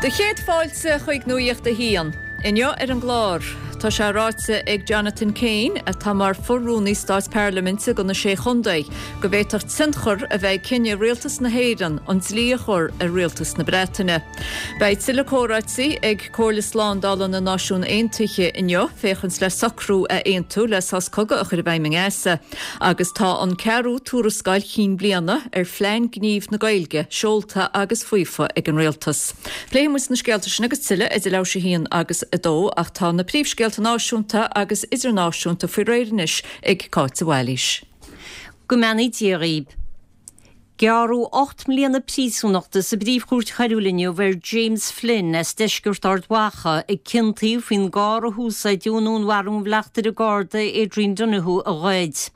Do chéad fáilte chuig Nuacht a hAon. Inniu ar an gclár, tá sé ráite ag Jonathan Kane, atá mar fho-rúnaí stáit parlaiminte do na Sé Chontae, go bhféadfadh tionchar a bheith ag cinneadh Rialtas na hÉireann an dlí a chur ar Rialtas na Breataine. Beidh tuilleadh comhráití ag Comhairle Slándála na Náisiún Aontaithe inniu féachaint le socrú a aontú le sos cogaidh a chur i bhfeidhm i nGaza. Agus tá an ceathrú tuarascáil chinn bliana ar Phlean Gnímh na Gaeilge seolta agus faofa ag an Rialtas. Pléifidh muid na scéalta sin agus tuilleadh idir leathuair tar éis a haon agus a dó ach tá na príomhscéalta náisiúnta agus idirnáisiúnta faoi réir anois ag Cáit de Bhailís. Go mbeannaí Dia dhaoib. Gearradh 8 mbliana príosúnachta sa bPríomh-Chúirt Choiriúil inniu ar James Flynn as deisceart Ard Mhacha a ciontaíodh faoin gcarr a húsáideadh i ndúnmharú an bhleachtaire Garda Adrian Donohoe a ghoid.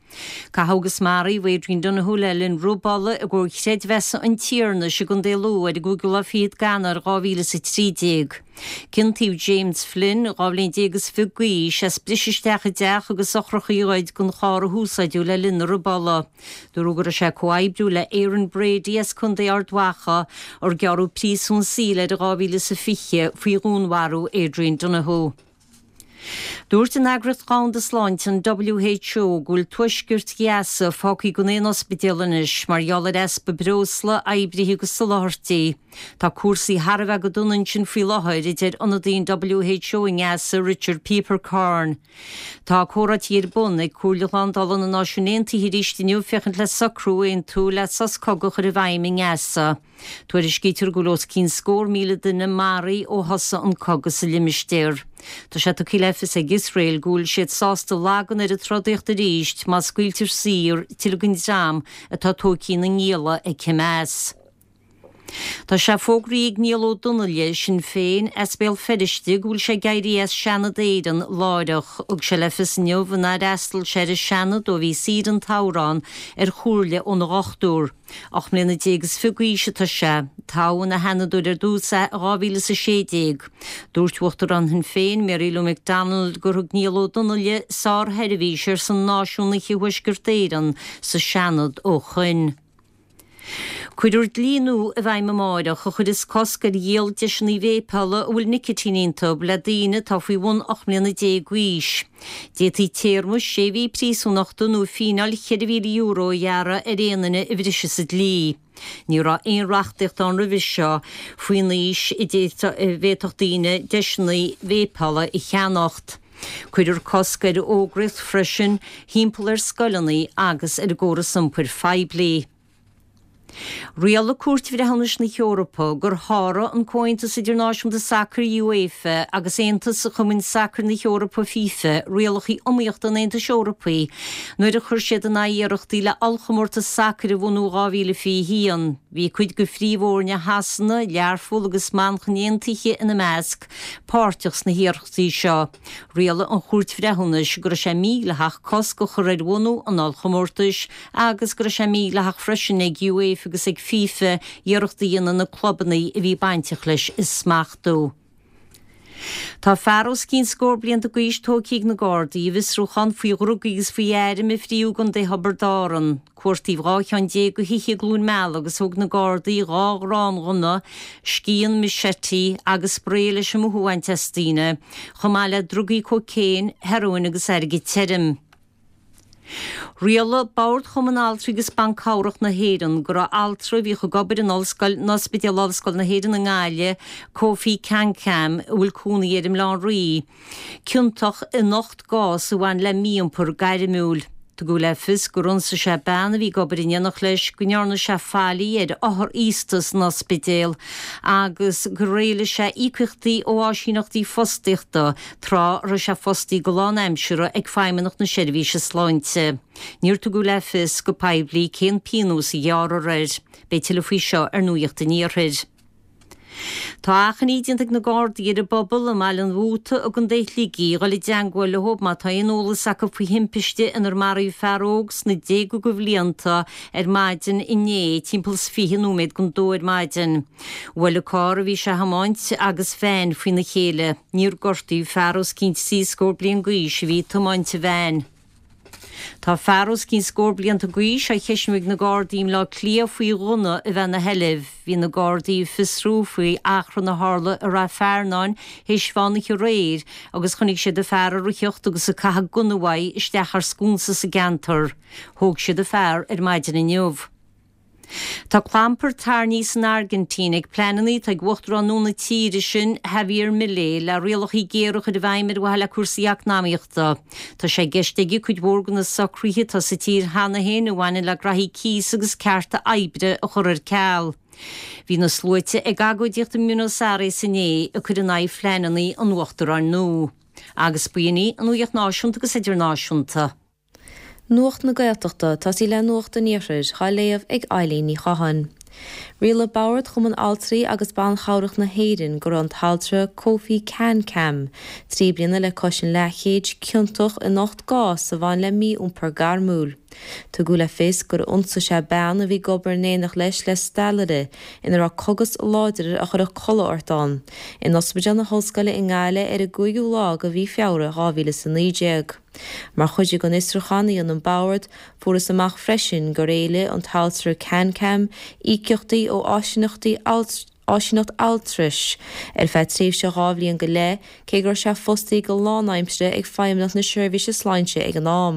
Caitheadh agus maraíodh Adrian Donohoe le linn robála i gComhar Creidmheasa an Tiarnais i gContae Lú ar an gcúigiú lá fichead d'Eanáir 2013. Ciontaíodh James Flynn, 12 bhliain is fiche d'aois, as briseadh isteach i dteach agus eochracha a ghoid den charr a húsáideadh le linn na robála. Dúradh go raibh sé ag comhoibriú le Aaron Brady as Contae Ard Mhacha, ar gearradh príosún saoil air in 2020 faoi dhúnmharú Adrian Donohoe. Dúirt an Eagraíocht Dhomhanda Sláinte, an WHO, go bhfuil tuaisceart Ghaza fágtha gan aon ospidéal anois mar gheall ar easpa breosla, oibrithe agus soláthairtí. Tá cúrsaí thar a bheith go dona ansin faoi láthair, a deir ionadaí an WHO i nGaza, Richard Peeperkorn. Tá comhráití ar bun ag Comhairle Shlándála na Náisiún Aontaithe arís inniu féachaint le socrú a aontú le sos cogaidh a chur i bhfeidhm i nGaza. Tuairiscítear go bhfuil os cionn scór 1,000 duine maraithe ó thosaigh an cogadh sa limistéar. Tá sé tugtha le fios ag Iosrael go bhfuil siad sásta lagan ar an trodaíocht arís má scaoiltear saor tuilleadh den dream atá tógtha ina ngialla ag Hamas. Tá sé fógraithe ag Niall Ó Donnghaile, Sinn Féin, as Béal Feirste go bhfuil sé ag éirí as Seanad Éireann láithreach. Thug sé le fios inniu nár fhreastail sé ar an Seanad ó bhí saoire an tsamhraidh ann ar chomhairle óna dhochtúir. 18 mbliana is fiche d'aois atá sé. Toghadh ina Sheanadóir ar dtús é i 2016. Dúirt Uachtarán Shinn Féin, Mary Lou McDonald, gur thug Niall Ó Donnghaile sársheirbhís ar son náisiúnaithe Thuaisceart Éireann sa Seanad ó shoin. Cuirfear dlí nua i bhfeidhm amáireach a chuirfeas cosc ar dhíol deiseanna véipeála a bhfuil nicitín iontu le daoine atá faoi bhun 18 mbliana d'aois. D'fhéadfaí téarma sé mhí príosúnachta nó fíneáil €4,000 a ghearradh ar aon duine a bhrisfeas an dlí. Ní raibh aon reachtaíocht ann roimhe seo faoin aois a bhféadfadh daoine deiseanna véipeála a cheannacht. Cuirfear cosc ar fhógraíocht freisin thimpeall ar scoileanna agus ar an gcóras iompair phoiblí. Rialaigh Cúirt Bhreithiúnais na hEorpa gur sháraigh an Comhaontas Idirnáisiúnta Sacair, UEFA, agus Aontas Chumainn Sacair na hEorpa, FIFA, rialacha iomaíochta an Aontais Eorpaigh nuair a chuir siad in aghaidh iarrachtaí le ollchomórtas sacair a bhunú 2021. Bhí cuid de phríomhfhoirne Shasana, Learpholl agus Manchain Aontaithe ina measc, páirteach sna hiarrachtaí seo. Rialaigh an Chúirt Bhreithiúnais go raibh sé mídhleathach cosc a chur ar bhunú an ollchomórtais agus go raibh sé mídhleathach freisin ag UEFA agus ag FIFA iarracht a dhéanamh na clubanna a bhí bainteach leis a smachtú. Tá fear os cionn scór blianta d'aois tógtha ag na Gardaí i bhfiosrúchán faoi dhrugaí agus faoi airm a fríodh i gContae Thiobraid Árann. Cuartaíodh 12 cheann de thithe i gCluain Meala agus thóg na Gardaí 2 ghráinghunna, scian machete agus sprae leis an mothú a bhaint as daoine, chomh maith le drugaí cócaon, hearóin agus airgead tirim. Rialaigh Bord Chumann Altraí agus Ban Cabhrach na hÉireann go raibh altra a bhíodh ag obair in Ollscoil in Ospidéal Ollscoil na hÉireann i nGaillimh, Kofi Kankam, a bhfuil cónaí air i mBaile Átha an Rí, ciontach in 8 gcás a bhain le mí-iompar gairmiúil. Tugadh le fios gur ionsaigh sé bean a bhí ag obair in éineacht leis, go ndearna sé faillí ar othar aosta san ospidéal agus gur éiligh sé íocaíochtaí ó áisíneachtaí fostaíochta tráth a raibh sé fostaí go lánaimseartha ag Feidhmeannacht na Seirbhíse Sláinte. Níor tugadh le fios go poiblí cén pionós a ghearrfar air. Beidh tuilleadh faoi seo ar Nuacht an Iarthair. Tá achainí déanta ag na Gardaí ar an bpobal i mBaile an Mhóta i gContae Shligigh dhul i dteangmháil leo má tá aon eolas acu faoi thimpiste inar maraíodh fear óg sna déaga de bhlianta ar maidin inné timpeall is 20 nóiméad don dó ar maidin. Bhuail an carr a bhí sé a thiomáint agus veain faoina chéile. Níor gortaíodh fear os cionn trí scór bliain d'aois a bhí ag tiomáint an veain. Tá fear os cionn scór blianta d'aois á cheisniú ag na Gardaí i mBleá Cliath faoi ghunna a bheith ina sheilbh. Bhí na Gardaí ag fiosrú faoi achrann a tharla i Rath Fearnáin théis mheán oíche aréir agus chonaic siad an fear ag ritheacht agus ag caitheamh gunna uaidh isteach thar sconsa sa gceantar. Thóg siad an fear ar maidin inniu. Tá clampar tarraingthe san Airgintín ag pleananna atá ag uachtarán nua na tíre sin, Javier Milei, le rialacha géara a chur i bhfeidhm ar mhaithe le cúrsaí eacnamaíochta. Tá sé i gceist aige cuid mhór de na socruithe atá sa tír cheana féin a bhaineann le graithí cíosa agus cearta oibre a chur ar ceal. Bhí na sluaite ag agóidíocht i mBuenos Aires inné ag cur in aghaidh phleananna an uachtaráin nua. Agus b'in í an nuacht náisiúnta agus idirnáisiúnta. Nuacht na Gaeltachta, tosaí le Nuacht an Iarthair, dhá léamh ag Eilín Ní Chatháin. Rialaigh Bord Chumann Altraí agus Ban Chabhrach na hÉireann go raibh an t-altra Kofi Kankam, 3 bliana le cois an leathchéid, ciontach in 8 gcás a bhain le mí-iompar gairmiúil. Tugadh le fios gur ionsaigh sé bean a bhí ag obair in éineacht leis le steallaire ina raibh cogas láidir a chuirfeadh codladh ort ann, in Ospidéal na hOllscoile i nGaillimh ar an gcúigiú lá de mhí Feabhra 2019. Mar chuid den fhiosrúchán a dhein an Bord, fuarthas amach freisin gur éiligh an t-altra Kankam íocaíochtaí ó áisíneachtaí áisíneacht altrais ar feadh tréimhse 2 bhliain go leith, cé go raibh sé fostaithe go lánaimseartha ag Feidhmeannacht na Seirbhíse Sláinte ag an am.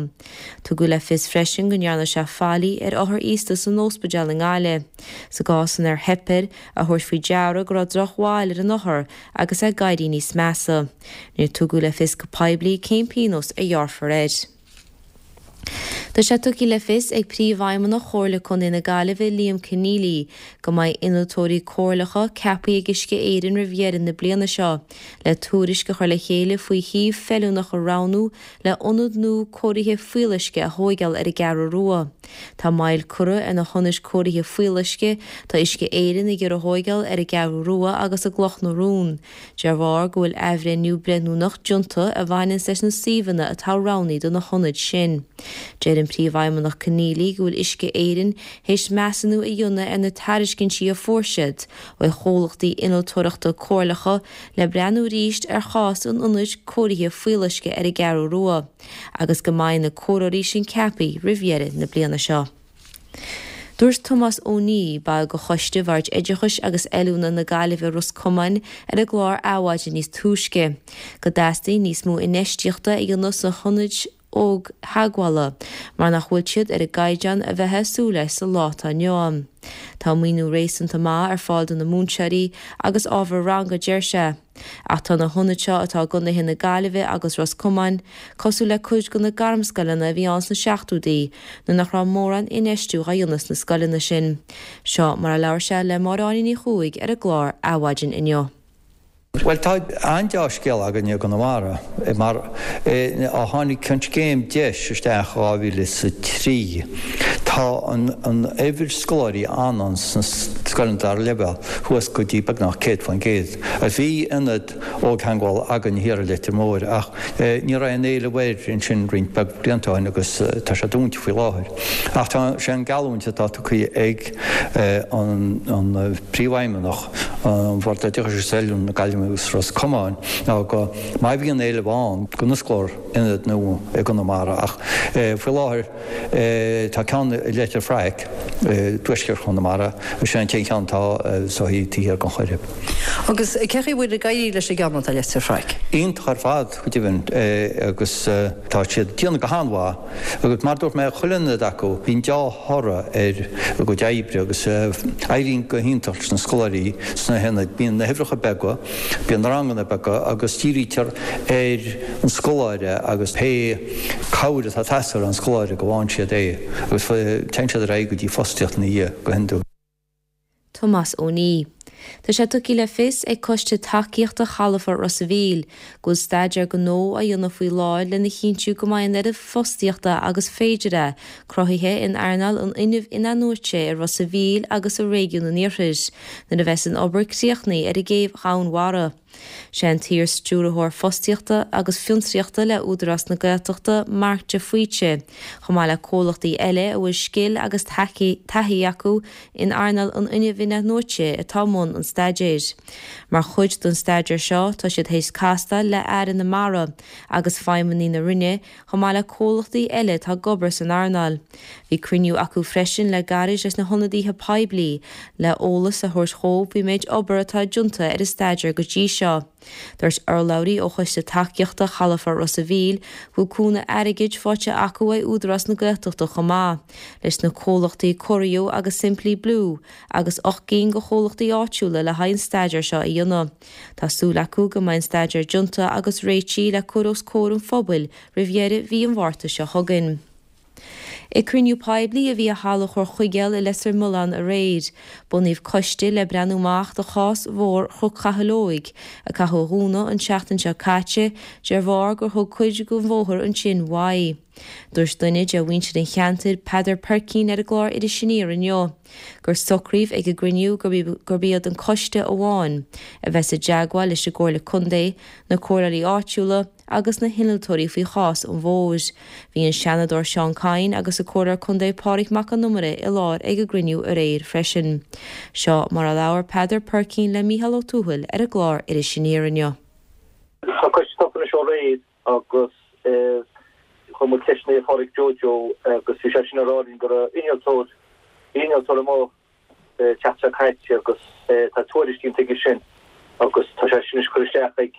Tugadh le fios freisin go ndearna sé faillí ar othair aosta san óspidéal i nGaillimh, sa gcás inar theip air a thabhairt faoi deara go raibh drochbhail ar an othar agus é ag éirí níos measa. Níor tugadh le fios go poiblí cén pionós a ghearrfar air. Tá sé tugtha le fios ag Príomhfheidhmeannach Chomhairle Contae na Gaillimhe Liam Conneally go mbeidh innealtóirí comhairleacha ceaptha ag Uisce Éireann roimh dheireadh na bliana seo le tuairisc a chur le chéile faoi shuíomh feiliúnach a roghnú le ionad nua cóirithe fuíolluisce a thóigeáil ar an gCeathrú Rua. Tá moill curtha ar na hionaid cóirithe fuíolluisce tá Uisce Éireann ag iarraidh a thóigeáil ar an gCeathrú Rua agus i gCloch na Rón. De bharr go bhfuil athbhreithniú breithiúnach déanta a bhaineanns leis na suíomhanna atá roghnaithe do na hionaid sin. Deir an Príomhfheidhmeannach Conneally go bhfuil Uisce Éireann théis measúnú a dhéanamh ar na tairiscintí a fuair siad ó chomhlachtaí innealtóireachta comhairleacha le breathnú arís ar chás an ionaid cóirithe fuíolluisce ar an gCeathrú Rua agus go mbeidh na comhairleoirí sin ceaptha roimh dheireadh na bliana seo. Dúirt Tomás Ó Niaidh, ball de Choiste Bhord Oideachais agus Oiliúna na Gaillimhe Ros Comáin ar an gclár Adhmhaidin níos túisce, go dteastaíonn níos mó infheistíochta a dhéanamh sna hionaid ógtheagmhála mar nach bhfuil siad ar an gcaighdeán a bheifeá ag súil leis sa lá atá inniu ann. Tá maoiniú réasúnta maith ar fáil do na múinteoirí agus ábhar ranga, deir sé. Ach tá na hionaid seo atá i gcontaetha na Gaillimhe agus Ros Comáin cosúil le cuid de na gairmscoileanna a bhí ann sna seachtóidí nuair nach raibh mórán infheistiú dhá dhéanamh sna scoileanna sin. Seo mar a labhair sé le Máire Áine Ní Chuaig ar an gclár Adhmhaidin inniu. Bhuel, tá an-deá-scéal againne i gConamara mar ó tháinig an scéim DEIS isteach i 2003 tá an uimhir scoláirí ann sna scoileanna dara leibhéal suas go dtí beagnach 100%. Bhí ionad ógtheagmhála againn thiar i Leitir Móir ach ní raibh aon éileamh air ansin roinnt beag blianta ó shin agus tá sé dúnta faoi láthair. Ach tá sé an geallúint atá tugtha ag an Príomhfheidhmeannach an Bhord Oideachais agus Oiliúna na Gaillimhe agus Ros Comáin ná go má bhíonn éileamh ann go n-osclófar ionad nua i gConamara ach faoi láthair Tá ceann i Leitir Fraic, i dtuaisceart Chonamara, is é an t-aon cheann atá so taobh thiar den Choirib. Agus cé chaoi bhfuil ag éirí leis an gceann atá i Leitir Fraic? Iontach ar fad, go deimhin, agus tá siad ag déanamh go han-mhaith. Agus mar a dúirt mé, chuile ionad acu, bíonn deá-thoradh ar a gcuid oibre agus éiríonn go hiontach leis na scoláirí sna hionaid. Bíonn na huimhreacha beaga, bíonn na ranganna beaga agus dírítear ar an scoláire agus pé cabhair atá ag teastáil ón scoláire go bhfaigheann siad é agus téann siad ar aghaidh go dtí fostaíocht ina dhiaidh go hiondúil. Tomás Ó Niaidh. Tá sé tugtha le fios ag Coiste Tacaíochta Chalafort Ros a' Mhíl go bhfuil staidéar gnó á dhéanamh faoi láthair lena chinntiú go mbeidh an oiread fostaíochta agus féidir é cruthaithe in earnáil an fhuinnimh in-athnuaite i Ros a' Mhíl agus i réigiún an Iarthair nuair a bheas an obair críochnaithe ar an gcéibh Dhomhainmhara. Sé an t-iar-Stiúrthóir Fostaíochta agus Fiontraíochta le Údarás na Gaeltachta, Mark de Faoite, chomh maith le comhlachtaí eile a bhfuil scil agus taithí acu in earnáil an fhuinnimh in-athnuaite atá i mbun. mbun an staidéir. Mar chuid den staidéar seo, tá siad théis castáil le Aire na Mara agus feidhmeannaigh na Roinne, chomh maith le comhlachtaí eile atá ag obair san earnáil. Bhí cruinniú acu freisin le gairid leis na hionadaithe poiblí le eolas a thabhairt dhóibh faoin méid obair atá déanta ar an staidéar go dtí seo. Dúirt urlabhraí ó Choiste Tacaíochta Chalafort Ros a' Mhíl go bhfuil cúnamh airgid faighte acu ó Údarás na Gaeltachta chomh maith leis na comhlachtaí Corio agus Simply Blue agus 8 gcinn de chomhlachtaí áitiúla le haghaidh an staidéar seo a dhéanamh. Tá súil acu go mbeidh an staidéar déanta agus réitithe le cur os comhair an phobail roimh dheireadh mhí an Mhárta seo chugainn. Ag cruinniú poiblí a bhí i Halla Chorr Chuigéil i Leitir Mealláin aréir, bunaíodh coiste le breathnú amach do chás Bhóthar Chnoc Chathail Óig, a caitheadh a dhúnadh an tseachtain seo caite de bharr gur thug cuid den bhóthar ansin uaidh. Dúirt duine de mhuintir an cheantair, Peadar Peircín ar an gclár Iris Aniar inniu, gur socraíodh ag an gcruinniú gurb iad an coiste amháin a bheas i dteagmháil leis an gComhairle Contae, na comhairleoirí áitiúla, agus na hinnealtóirí faoi chás an bhóthair. Bhí an Seanadóir Seán Kyne agus an Comhairleoir Contae Pádraig Mac Con Iomaire i láthair ag an gcruinniú aréir freisin. Seo mar a labhair Peadar Peircín le Mícheál Ó Tuathail ar an gclár Iris Aniar inniu. Tá coiste tofa anois ó aréir agus chuir muid ceisteanna ar Pháraic Joe Joe agus bhí sé sin ag rá linn go raibh innealtóir, bhí innealtóir amuigh tseachtain seo caite agus tá tuairisc déanta aige sin agus tá sé sin anois curtha isteach ag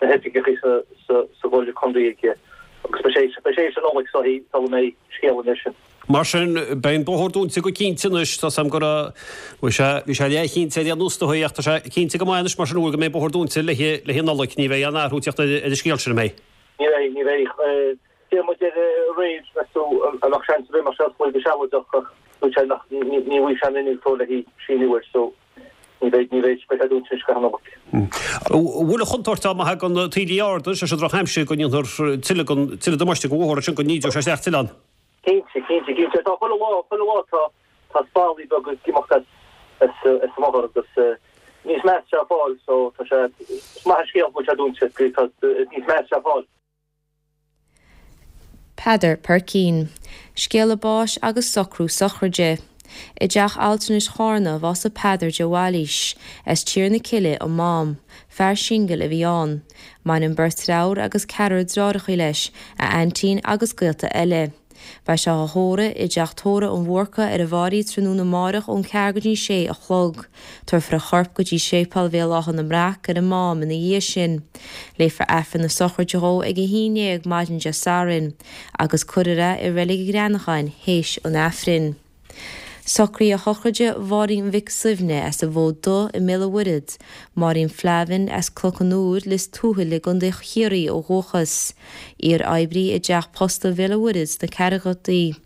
na hoifigeacha sa gComhairle Contae aige agus beidh sé beidh sé théis an Nollaig sula mbeidh scéal an sin. Mar sin, beidh an bóthar dúnta go cinnte anois. Tá 's agam go raibh, bhí sé, bhí sé leathchinnte ar aon nós dóigh ach tá sé cinnte go maith anois mar sin go mbeidh an bóthar dúnta le haghaidh an Nollaig. Ní bheidh aon athrú ag teacht ar an scéal sin, an mbeidh? Ní bheidh, ní bheidh. D'iarr muid air aréir, meas tú an mbeadh seans ar bith go mbeadh sé oscailte go sealadach ach dúirt sé nach, ní bhfaighidh sé an innealtóir le síniú air so ní bheidh, ní bheidh, beidh sé dúnta anois go ceann Nollag. An bhfuil an chontúirt ann má thagann taoillí arda, sé sin drochaimsir, go ndéanfar tuilleadh den, tuilleadh damáiste don bhóthar ansin, go n-ídeoidh sé isteach tuilleadh ann? Cinnte, cinnte, cinnte. Tá chuile lá, chuile lá tá, tá spallaí beaga ag imeacht as, as, as an mbóthar agus níos measa sé ag fáil so tá sé, is maith an scéal go bhfuil sé dúnta, níos measa sé ag fáil. Peadar Peircín. Scéala báis agus socrú sochraide. I dTeach Altranais Chárna bhásaigh Peadar de Bhailís, as Tír na Cille, an Mám. Fear singil a bhí ann. Maireann beirt dreabhar agus ceathrar dreárachaí leis, a aintín agus gaolta eile. Beidh sé á thórramh i dTeach Tórraimh an Bhúrca ar an bhFairche tráthnóna amáireach ón ceathair go dtí sé a chlog. Tabharfar a chorp go dtí Séipéal Bhéal Átha na mBreac ar an Mám ina dhiaidh sin. Léifear Aifreann na sochraide dhó ag a haon dhéag maidin Dé Sathairn agus cuirfear é i Reilig an Ghreanacháin théis an Aifrinn. Socruithe sochraide Mháirín Mhic Suibhne as an bhFód Dubh i mBéal an Mhuirthead, Máirín Flavin as Cnoc an Iúir, Lios Tuathail i gContae Chiarraí ó dhúchas. Iar-oibrí i dTeach Posta Bhéal an Mhuirthead sna ceathrachaidí.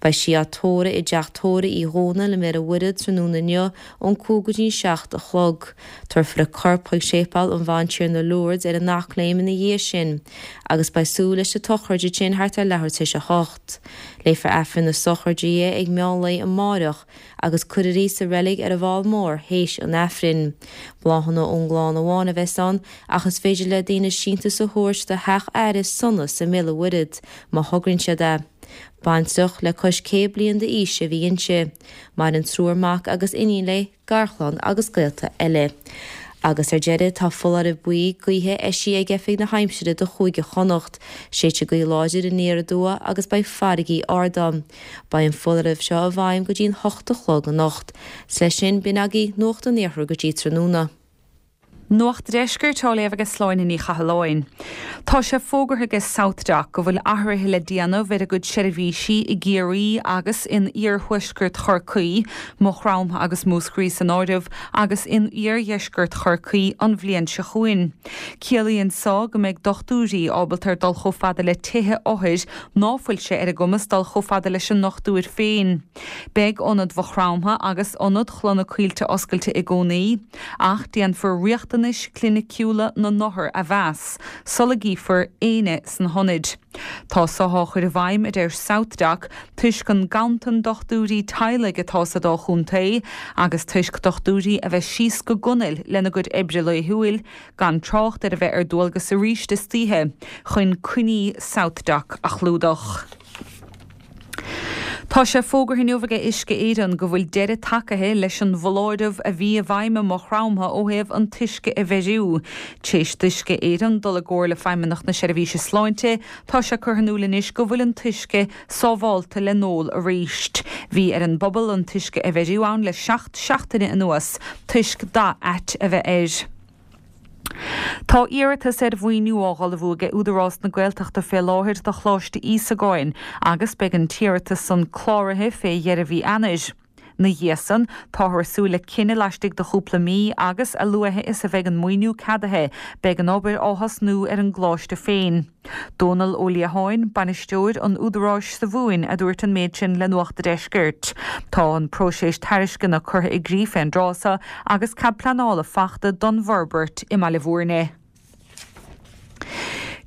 Beidh sí á tórramh i dTeach Tórraimh Uí Dhónaill i mBéal an Mhuirthead tráthnóna inniu ón 5 go dtí an 7 a chlog. Tabharfar a corp chuig Séipéal an Bhantiarna Lourdes ar an Eachléim ina dhiaidh sin agus beidh súil leis an tsochraid ansin thart ar leathuair tar éis a hocht. Léifear Aifreann na sochraide di ag meán lae amáireach agus cuirfear í sa reilig ar an bhFál Mór théis an Aifrinn. Bláthanna ón gclann amháin a bheas ann ach is féidir le daoine síntiús a thabhairt do theach aire Sonas i mBéal an Mhuirthead má thograíonn siad é. Baintreach le cois 100 bliain d'aois a bhí inti. Maireann triúr mac agus iníon léi. garchlann agus gaolta eile. Agus ar deireadh, tá foláireamh buí gaoithe eisithe ag Oifig na hAimsire do Chúige Chonnacht. Séidfidh gaoth láidir aniar aduaidh agus beidh farraigí ard ann. Beidh an foláireamh seo i bhfeidhm go dtí an hocht a chlog anocht. 'S leis sin, b'in agaibh Nuacht an Iarthair go dtí tráthnóna. Nuacht an Deiscirt á léamh ag Sláine Ní Chathalláin. Tá sé fógartha ag SouthDoc go bhfuil athruithe le déanamh ar a gcuid seirbhísí i gCiarraí agus in iarthuaisceart Chorcaí, Maigh Chromtha agus Múscraí san áireamh, agus in iardheisceart Chorcaí an bhliain seo chugainn. Ciallaíonn so go mbeidh dochtúirí ábalta ar dul chomh fada le tithe othair ná fuil sé ar a gcumas dul chomh fada leis an ndochtúir féin. Beidh Ionad Mhaigh Chromtha agus Ionad Chloich na Coillte oscailte i gcónaí. Ach déanfar riachtanais chliniciúla na n-othar a mheas sula gcífear éinne sna hionaid. Tá so á chur i bhfeidhm, a deir SouthDoc, toisc an ganntan dochtúirí teaghlaigh atá sa dá chontae agus toisc dochtúirí a bheith síos go gunail lena gcuid oibre laethúil, gan trácht ar a bheith ar dualgas arís istoíche chun coinní SouthDoc a chlúdach. Tá sé fógartha inniu aige Uisce Éireann go bhfuil deireadh tagaithe leis an bhfoláireamh a bhí i bhfeidhm i Maigh Chromtha ó thaobh an t-uisce a bheiriú. T'éis d'Uisce Éireann dul i gcomhairle le Feidhmeannacht na Seirbhíse Sláinte, tá sé curtha in iúl anois go bhfuil an t-uisce sábhálta le n-ól arís. Bhí ar an bpobal an t-uisce a bheiriú ann le seacht seachtaine anuas toisc dath ait a bheith air. Tá iarratas ar mhaoiniú á dh'ullmhú aige Údarás na Gaeltachta fé láthair do Choláiste Íosagáin agus beidh an t-iarratas san cláraithe fé dheireadh mhí Eanáir. 'Na dhiaidh san, táthar ag súil le cinneadh laistigh de chúpla mí agus, a luaithe is a bheidh an maoiniú ceadaithe, beidh an obair á thosnú ar an gcoláiste féin. Dónal Ó Liatháin, Bainisteoir an Údaráis sa Mhumhain a dúirt an méid sin le Nuacht a' Deiscirt. Tá an próiseas tairisceana curtha i gcrích fén dtráth so agus cead pleanála fachta don bhforbairt i mBaile Bhúirne.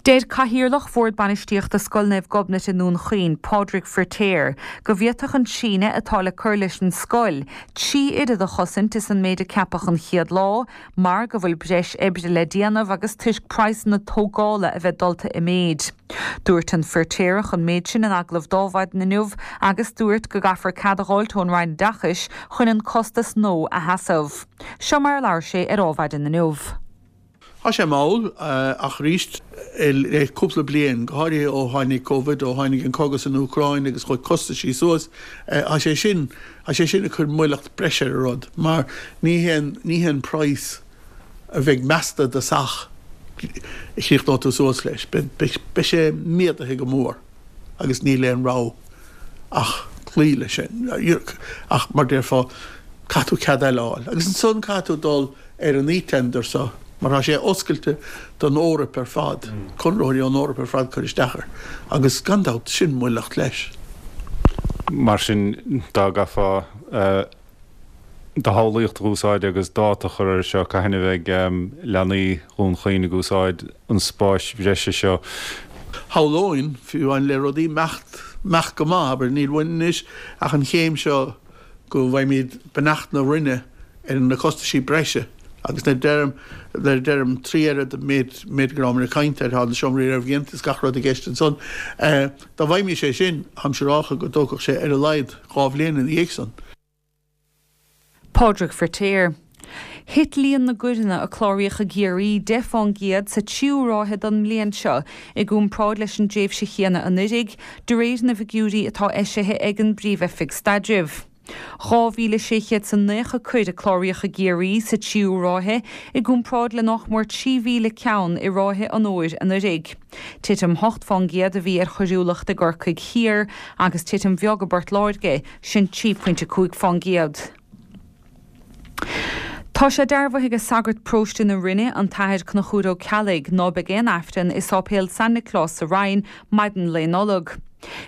Deir Cathaoirleach Bhord Bainistíochta Scoil Naomh Gobnait i nDún Chaoin, Pádraig Firtéar, go bhféadfadh an síneadh atá le cur leis an scoil, 3 oiread a chosaint is an méid a ceapadh an chéad lá, mar go bhfuil breis oibre le déanamh agus toisc praghsanna tógála a bheith dulta i méid. Dúirt an Firtéarach an méid sin in agallamh d'Adhmhaidin inniu agus dúirt go gcaithfear cead a dh'fháilt ón Roinn Oideachais chun an costas nua a sheasamh. Seo mar a labhair sé ar Adhmhaidin inniu. Tá sé mall, ach arís, le cúpla bliain, go háirithe ó tháinig Covid, ó tháinig an cogadh san Úcráin agus chuaigh costaisí suas, tá sé sin, tá sé sin ag cur moilleacht breise ar an rud mar ní hé an, ní hé an praghas a bheidh measta do theach a chríochnóidh tú suas leis. Beidh, beidh sé méadaithe go mór agus níl aon rogha ach cloí leis sin. Ach mar déarfá, caithfidh tú cead eile a fháil. Agus ansan caithfidh tú dul ar an eTender so, mar tá sé oscailte don Eoraip ar fad, conraitheoirí ón Eoraip ar fad cur isteach air, agus gan dabht, sin moilleacht leis. Mar sin, dá gcaithfeá do shamhlaíocht a úsáid agus dáta a chur air seo, cathain a bheidh leanaí Dhún Chaoin ag úsáid an spáis bhreise seo? Shamhlóinn, fiú amháin le rudaí imeacht, imeacht go maith, abair, níl uainn anois ach an chéim seo, go bhfaighimid beannacht na Roinne ar na costaisí breise agus nuair a deirim, nuair a deirim 3 oiread an méid, méid go rabhamar ag caint air, tá na seomraí réamhdhéanta is gach rud i gceist ansan. Dá bhfaighimís é sin, táim siúrálcha go dtógfadh sé ar a laghad 2 bhliain ina dhiaidh san. Pádraig Firtéar. Thit líon na gcoireanna a cláraíodh i gCiarraí 10 fán gcéad sa tríú ráithe den mbliain seo i gcomparáid leis an dtréimhse chéanna anuiridh, de réir na bhfigiúirí atá eisithe ag an bPríomh-Oifig Staidrimh. 2,690 coir a cláraíodh i gCiarraí sa tríú ráithe i gcomparáid le nách mór 3,000 ceann i ráithe an fhómhair anuiridh. Titim 8 fán gcéad a bhí ar choiriúlacht i gCorcaigh Thiar agus titim bheag i bPort Láirge, sin 3.5 fán gcéad. Tá sé dearbhaithe aige sagart paróiste na Rinne, an tAthair Conchúr Ó Ceallaigh, ná beidh aon Aifreann i Sáipéal San Nioclás sa Rinn maidin Lae Nollag.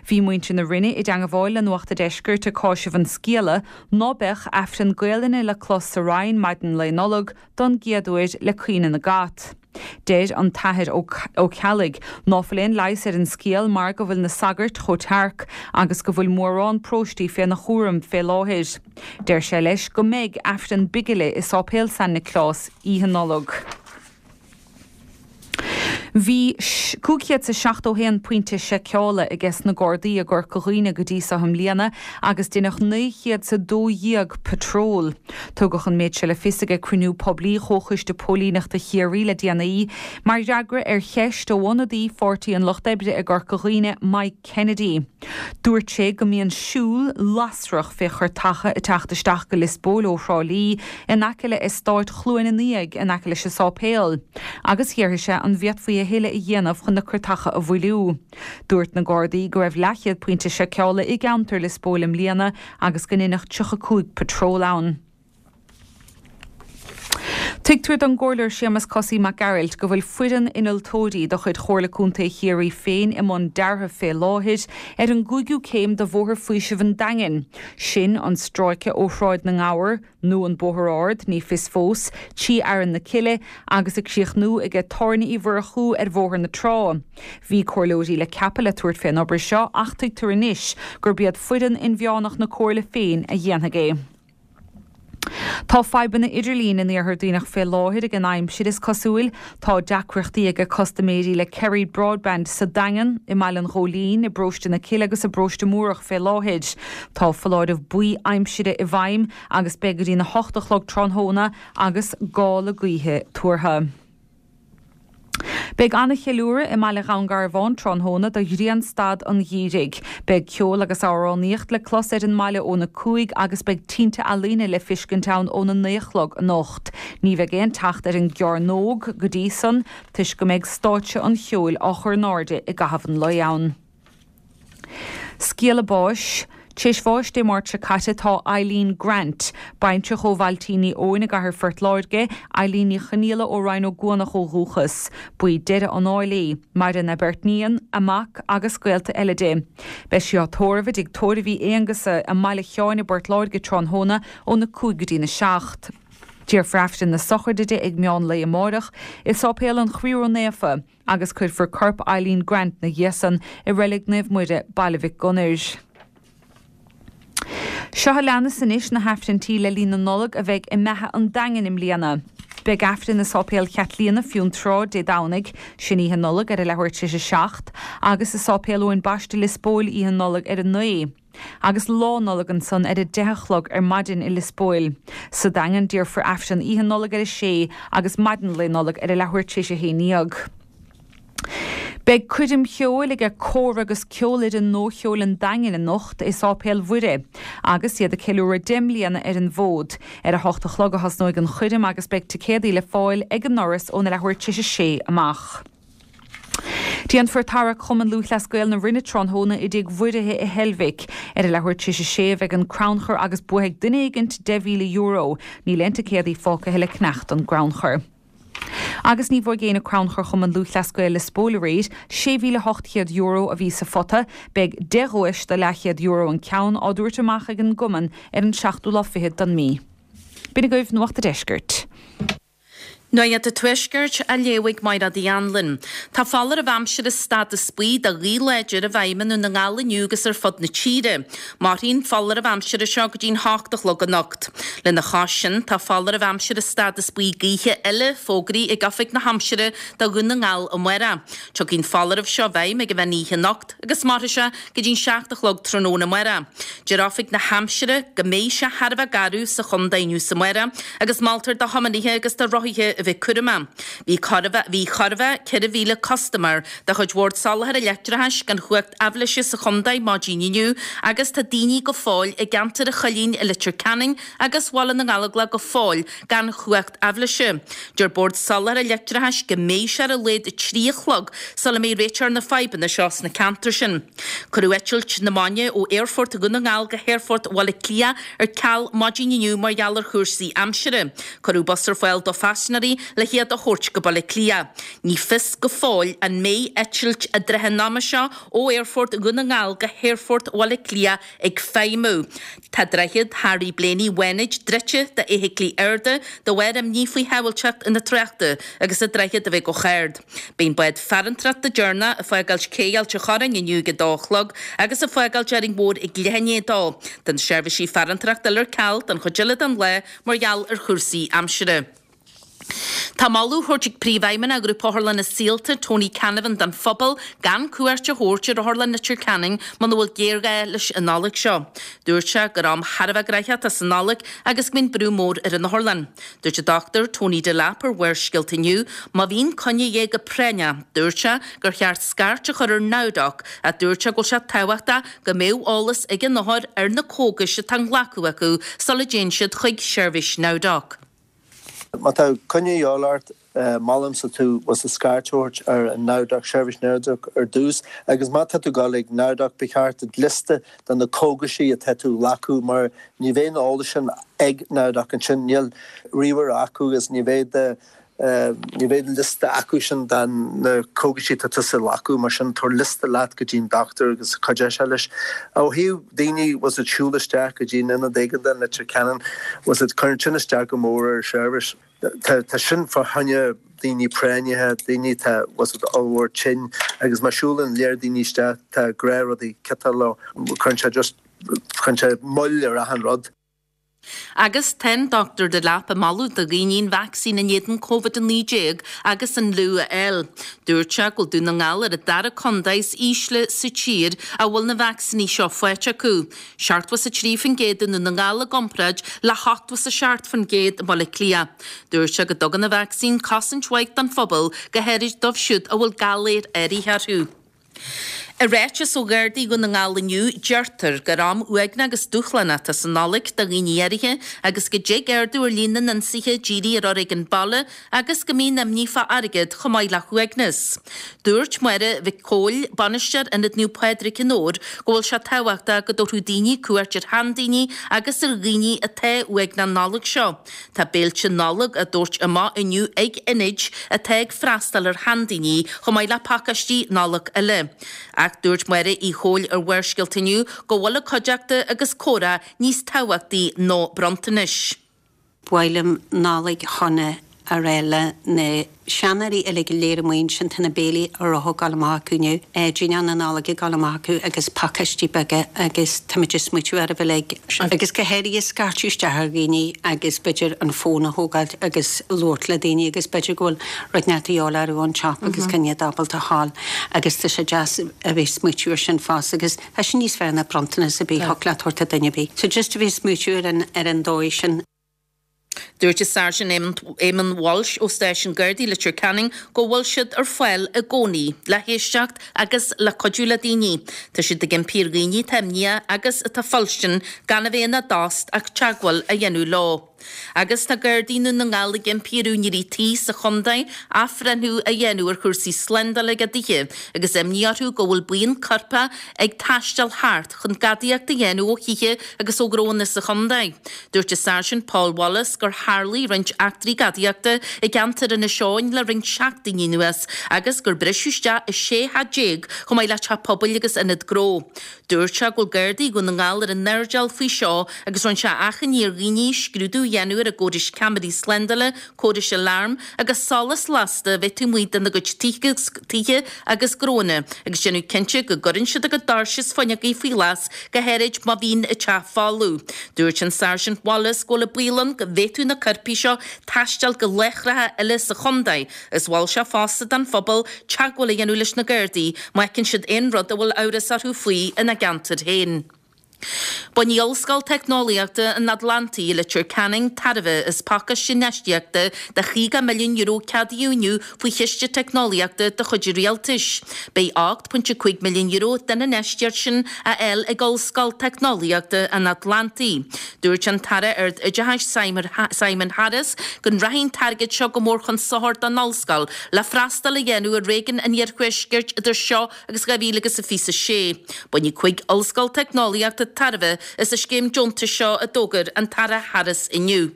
Bhí muintir na Rinne i dteangabháil le Nuacht a' Deiscirt ag cáiseamh an scéala ná beadh Aifreann Gaelainne le clos sa Rinn maidin Lae Nollag don gcéad uair le caoineadh na gcat. Deir an tAthair Ó Ceallaigh ná fuil aon leigheas ar an scéal mar go bhfuil na sagairt chomh tearc agus go bhfuil mórán paróistí féna chúram fé láthair. Deir sé leis go mbeidh Aifreann bigile i Sáipéal San Nioclás Oíche Nollag. Bhí 571 pointe seiceála aige sna Gardaí i gCorca Dhuibhne go dtí so i mbliana agus deineadh 912 patról. Tugadh an méid seo le fios aige cruinniú poiblí Chomhchoiste Póilíneachta Chiarraí le déanaí, mar fhreagra ar cheist ó ionadaí Pháirtí an Lucht Oibre i gCorca Dhuibhne, Mike Kennedy. Dúirt sé go mbíonn siúl lasrach fé churtacha ag teacht isteach go Lios Póil ó Thrá Lí in aice le eastát Chluain an Fhiaigh in aice leis an sáipéal, agus d'fhiafraigh sé an bhféadfaí a thuilleadh a dhéanamh chun na curtacha a mhoilliú. Dúirt na Gardaí go raibh leathchéad pointe seiceála i gceantar Lios Póil i mbliana agus go ndeineadh 35 patról ann. Tuigtear don gComhairleoir Séamus Cosaí Mac Gearailt go bhfuil foireann innealtóirí de chuid Chomhairle Contae Chiarraí féin i mbun deartha fé láthair ar an gcúigiú céim de Bhóthar Faoisimh an Daingin, sin an stráice ó Shráid na nGabhar, nó an Bóthar Ard, ní fios fós, trí Fhearann na Cille agus ag críochnú aige Tábhairne Uí Mhurchú ar Bhóthar na Trá. Bhí comhairleoirí le ceapadh le tabhairt fén obair seo ach tuigtear anois gurb iad foireann inmheánach na comhairle féin a dhéanfaidh é. Tá fadhbanna idirlín in Iarthar Duibhneach fé láthair ag an aimsir, is cosúil. Tá deacrachtaí ag custaiméirí le Kerry Broadband sa Daingean, i mBaile an Ghóilín, i bParóiste na Cille agus i bParóiste Múrach fé láthair. Tá foláireamh buí aimsire i bhfeidhm agus beidh go dtí'n 8 a chlog tráthnóna agus gála gaoithe tuartha. Beidh an-cheiliúradh i mbaile Dhún Garbhán tráthnóna do ghrianstad an gheimhridh. Beidh ceol agus amhránaíocht le clos ar an mbaile óna 5 agus beidh tinte ealaíne le fiscint ann óna 9 a chlog anocht. Ní bheidh aon teacht ar an gcearnóg go dtí san toisc go mbeidh stáitse an cheoil á chur in airde i gcaitheamh an lae ann. Scéala báis, Tar éis bháis Dé Máirt seo caite tá Eileen Grant, baintreach ó Mhailtín Uí Eoin i gcathair Phort Láirge, Eileen Ní Chonaola ó Rinn Ó gCuanach ó dhúchas. Ba í deireadh an áil í. Maireann a beirt níon, a mac agus gaolta eile di. Beidh sí á tórramh i dTigh Tórraimh Uí Aonghusa i mBaile Sheáin i bPort Láirge tráthnóna óna 5 go dtína 7. Déarfar Aifreann na sochraide di ag meán lae amárach i Sáipéal an Chroí Ró-Naofa. agus cuirfear corp Eileen Grant 'na dhiaidh san i Reilig Naomh Muire, Baile Mhic Gonair. Seo a leanas anois na hAifrinntí le linn na Nollag a bheidh i mBeatha an Daingin i mbliana. Beidh Aifreann i Sáipéal Chaitlíona, Fionntrá, Dé Domhnaigh, sin Oíche Nollag ar a leathuair tar éis a 7, agus i Sáipéal Eoin Baiste, Lios Póil, Oíche Nollag ar a 9. Agus Lá Nollag ansan ar a deich a chlog ar maidin i Lios Póil. Sa Daingean déarfar Aifreann Oíche Nollag ar a sé agus maidin Lae Nollag ar a leathuair tar éis a haon dhéag. Beidh coirm cheoil ag Cór agus Ceolfhoireann Nua-Cheoil an Daingin anocht i Sáipéal Mhuire agus iad ag ceiliúradh 10 mbliana ar an bhfód. Ar a hocht a chlog a thosnóidh an choirm agus beidh ticéadaí le fáil ag an ndoras óna leathuair tar éis a sé amach. Déanfar tarrac Chumann Lúthchleas Gael na Rinne tráthnóna i dTigh Mhuirithe i Heilbhic. Ar a leathuair tar éis a sé a bheidh an crannchur agus buafaidh duine éigint €10,000. Níl aon ticéadaí fágtha le ceannach don gcrannchur. Agus ní bhuaigh éinne crannchur Chumann Lúthchleas Gael Lios Póil aréir. €6,800 a bhí sa phota. Beidh 10 dhuais de leathchéad euro an ceann á dtabhairt amach ag an gcumann ar an seachtú lá fichead don mí. B'in agaibh Nuacht a' Deiscirt. Nuacht an Tuaiscirt á léamh ag Mairéad Uí Anluain. Tá foláireamh aimsire stádas buí do ghaoth láidir i bhfeidhm i nDún na nGall inniu agus ar fud na tíre. Mairfidh an foláireamh aimsire seo go dtí'n hocht a chlog anocht. Lena chois sin, tá foláireamh aimsire stádas buí gaoithe eile fógraithe ag Oifig na hAimsire do Dhún na nGall amárach. Tiocfaidh an foláireamh seo i bhfeidhm ag an mheán oíche anocht agus mairfidh sé go dtí'n 7 a chlog tráthnóna amárach. Deir Oifig na hAimsire go mbeidh sé thar a bheith garbh sa chontae inniu is amárach agus moltar do thiománaithe agus do rothaithe a bheith cúramach. Bhí chóir a bheith bhí chóir a bheith 4,000 custaiméir de chuid Bhord Soláthair Leictreachais gan chumhacht aibhléise sa chontae maidin inniu agus tá daoine go fóill i gceantar an Choillín i Leitir Ceanainn agus Bhaile na nGallóglach go fóill gan chumhacht aibhléise. Deir Bord Soláthair Leictreachais go mbeidh sé ar a laghad 3 a chlog sula mbeidh réiteach ar na fadhbanna seo sna ceantair sin. Cuireadh eitilt na maidine ó Aerfort Dhún na nGall go hAerfort Bhaile Átha Cliath ar ceal maidin inniu mar gheall ar chúrsaí aimsire. Cuireadh bus ar fáil do phaisinéirí le hiad a thabhairt go Baile Átha Cliath. Ní fios go fóill an mbeidh eitilt i dtrátha an ama seo ó Aerfort Dhún na nGall go hAerfort Bhaile Átha Cliath ag feidhmiú. Tá Droichead Harry Blaney Fhánaid druidte d'fheithiclí arda de bharr imní faoi shábháilteacht na tráchta agus an droichead a bheith go hard. Beidh an bád farantóireachta deireanach ag fágáilt cé Ailt an Chorráin inniu ag a dó a chlog agus ag fágáilt Árainn Mhór ag leath i ndiaidh a dó. Tá na seirbhísí farantóireachta uile ar ceal don chuid eile den lá mar gheall ar chúrsaí aimsire. Tá moladh á thabhairt ag Príomhfheidhmeannach Ghrúpa Otharlanna Saolta, Tony Canavan don phobal gan cuairt a thabhairt ar Otharlann Leitir Ceanainn muna bhfuil géarghá leis an Nollaig seo. Dúirt sé gur am thar a bheith gnoitheach atá sa Nollaig agus go mbíonn brú mór ar an otharlann. Dúirt an Dr Tony Delap ar Bharrscéalta inniu má bhíonn coinne de dhíth go práinneach, dúirt sé gur cheart scairt a chur ar NowDoc ach dúirt sé go bhfuil sé tábhachtach go mbeadh eolas ag an othar ar na cógais atá á nglacadh acu sula dtéann siad chuig seirbhís NowDoc. Má tá coinne a dhíobháil ort, molaimse tú bhfuil scairt a thabhairt ar an NowDoc, seirbhís NowDoc ar dtús agus má tá tú ag dul ag NowDoc ba cheart duit liosta de na cógaisí atá tú a ghlacadh mar ní bheidh an eolas sin ag NowDoc ansin, níl ríomhaire acu agus ní bheidh de ní bheidh liosta acu sin de na cógaisí atá tusa a ghlacadh mar sin tabhair liosta leat go dtí an dochtúir agus cuideoidh sé leis. Ó thaobh daoine bhfuil siad siúl isteach go dtí an ionad éigeandála i Leitir Ceanainn, bhfuil siad, cuireann sin isteach go mór ar an seirbhís. Tá, tá sin fá choinne daoine práinneacha, daoine atá, bhfuil siad ollmhór tinn agus má siúlann léir daoine isteach tá gnáthrudaí ciotáil leo, cuireann sé just, cuireann sé moill ar achan rud. Agus tá an Dr Delap ag moladh do dhaoine an vacsaín in éadan Covid-19 agus an fhliú a fháil. Dúirt sé go bhfuil Dún na nGall ar an dara contae is ísle sa tír a bhfuil na vacsaíní seo faighte acu, 73% i nDún na nGall i gcomparáid le 87% i mBaile Átha Cliath. Dúirt sé go dtugann an vacsaín cosaint mhaith don phobal, go háirid dóibh siúd a bhfuil galair áirithe orthu. I ráiteas ó Ghardaí Dhún na nGall inniu, deirtear gur am uaigneach agus dúshlánach atá sa Nollaig do dhaoine áirithe agus go dtig ardú ar líon na n-ionsaithe dírithe ar fhoréigean baile agus go mbíonn imní fá airgead chomh maith le huaigneas. Dúirt Máire Mhic Cóil, Bainisteoir Ionad Naomh Pádraig in Dobhar, go bhfuil sé tábhachtach go dtabharfadh daoine cuairt ar sheandaoine agus ar dhaoine atá uaigneach an Nollaig seo. Tá béilte Nollag á dtabhairt amach inniu ag ionaid atá ag freastal ar sheandaoine chomh maith le pacáistí Nollag eile. Ach dúirt Máire Uí Chomhail ar Bharrscéalta inniu go bhfuil an cuideachta agus comhrá níos tábhachtaí ná bronntanais. Ba mhaith liom Nollaig shona a rá le na seanóirí uilig go léir amuigh ansin, tá na béilí rotha ag dul amach acu inniu, dinnéar na Nollag ag dul amach acu agus pacáistí beaga agus táimid ag smaoitiú oraibh uilig. Agus go háirithe scairteadh isteach ar dhaoine agus b'fhéidir an fón a thógáilt agus labhairt le daoine agus b'fhéidir go bhfuil rud inteacht de dhíobháil orthu ón tsiopa agus gan iad ábalta a ghabháil agus tá sé deas a bheith ag smaoitiú ar sin fosta agus tá sé níos fearr ná bronntanas ar bith a thiocfadh leat a thabhairt do dhuine ar bith. So just a bheith ag smaoitiú ar an ar an dóigh sin. Dúirt an Sáirsint Éamonn Walsh ó Stáisiún Gardaí Leitir Ceanainn go bhfuil siad ar fáil i gcónaí le héisteacht agus le cuidiú le daoine. Tá siad ag impí ar dhaoine atá imníoch agus atá fuilstin gan a bheith ina dtost ach teagmháil a dhéanamh leo. Agus tá Gardaí Dhún na nGall ag impí ar úinéirí tí sa chontae athbhreithniú a dhéanamh ar chúrsaí slándála ag a dtithe agus imní orthu go bhfuil buíon coirpeach ag taisteal thart chun gadaíocht a dhéanamh ó thithe agus ó ghnóanna sa chontae. Dúirt an Sáirsint Paul Wallace gur tharlaigh roinnt eachtraí gadaíochta i gceantar Inis Eoghain le roinnt seachtainí anuas agus gur briseadh isteach i 16 theach chomh maith le teach pobail agus ionad gnó. Dúirt sé go bhfuil Gardaí Dhún na nGall ar a n-airdeall faoi seo agus rinne sé achainí ar dhaoine scrúdú a dhéanamh ar a gcórais ceamaraí slándála, córais aláirm agus solas lasta a bheith taobh amuigh dena gcuid tithe agus gnóanna agus déanamh cinnte go gcuireann siad a gcuid doirse is fuinneogaí faoi ghlas go háirid má bhíonn an teach folamh. Dúirt an Sáirsint Wallace go bhfuil an baol ann go bhféadfadh na coirpigh seo taisteal go láithreacha eile sa chontae is mhol sé fosta don phobal teagmháil a dhéanamh leis na Gardaí má fheiceann siad aon rud a bhfuil amhras orthu faoi ina gceantar féin. Bainfidh Ollscoil Teicneolaíochta an Atlantaigh i Leitir Ceanainn tairbhe as pacáiste infheistíochta de €50 milliún ceadaíodh inniu faoi Chiste Teicneolaíochta de chuid an Rialtais. Beidh €8.5 milliún den infheistíocht sin á fháil ag Ollscoil Teicneolaíochta an Atlantaigh. Dúirt an tAire Ard-Oideachais Simon Harris go rachaidh an t-airgead seo go mór chun sochair don Ollscoil le freastal a dhéanamh ar réigiún an Iarthuaiscirt idir seo agus 2026. Bainfidh 5 ollscoil teicneolaíochta tairbhe as an scéim deontais seo a d'fhógair an tAire Harris inniu.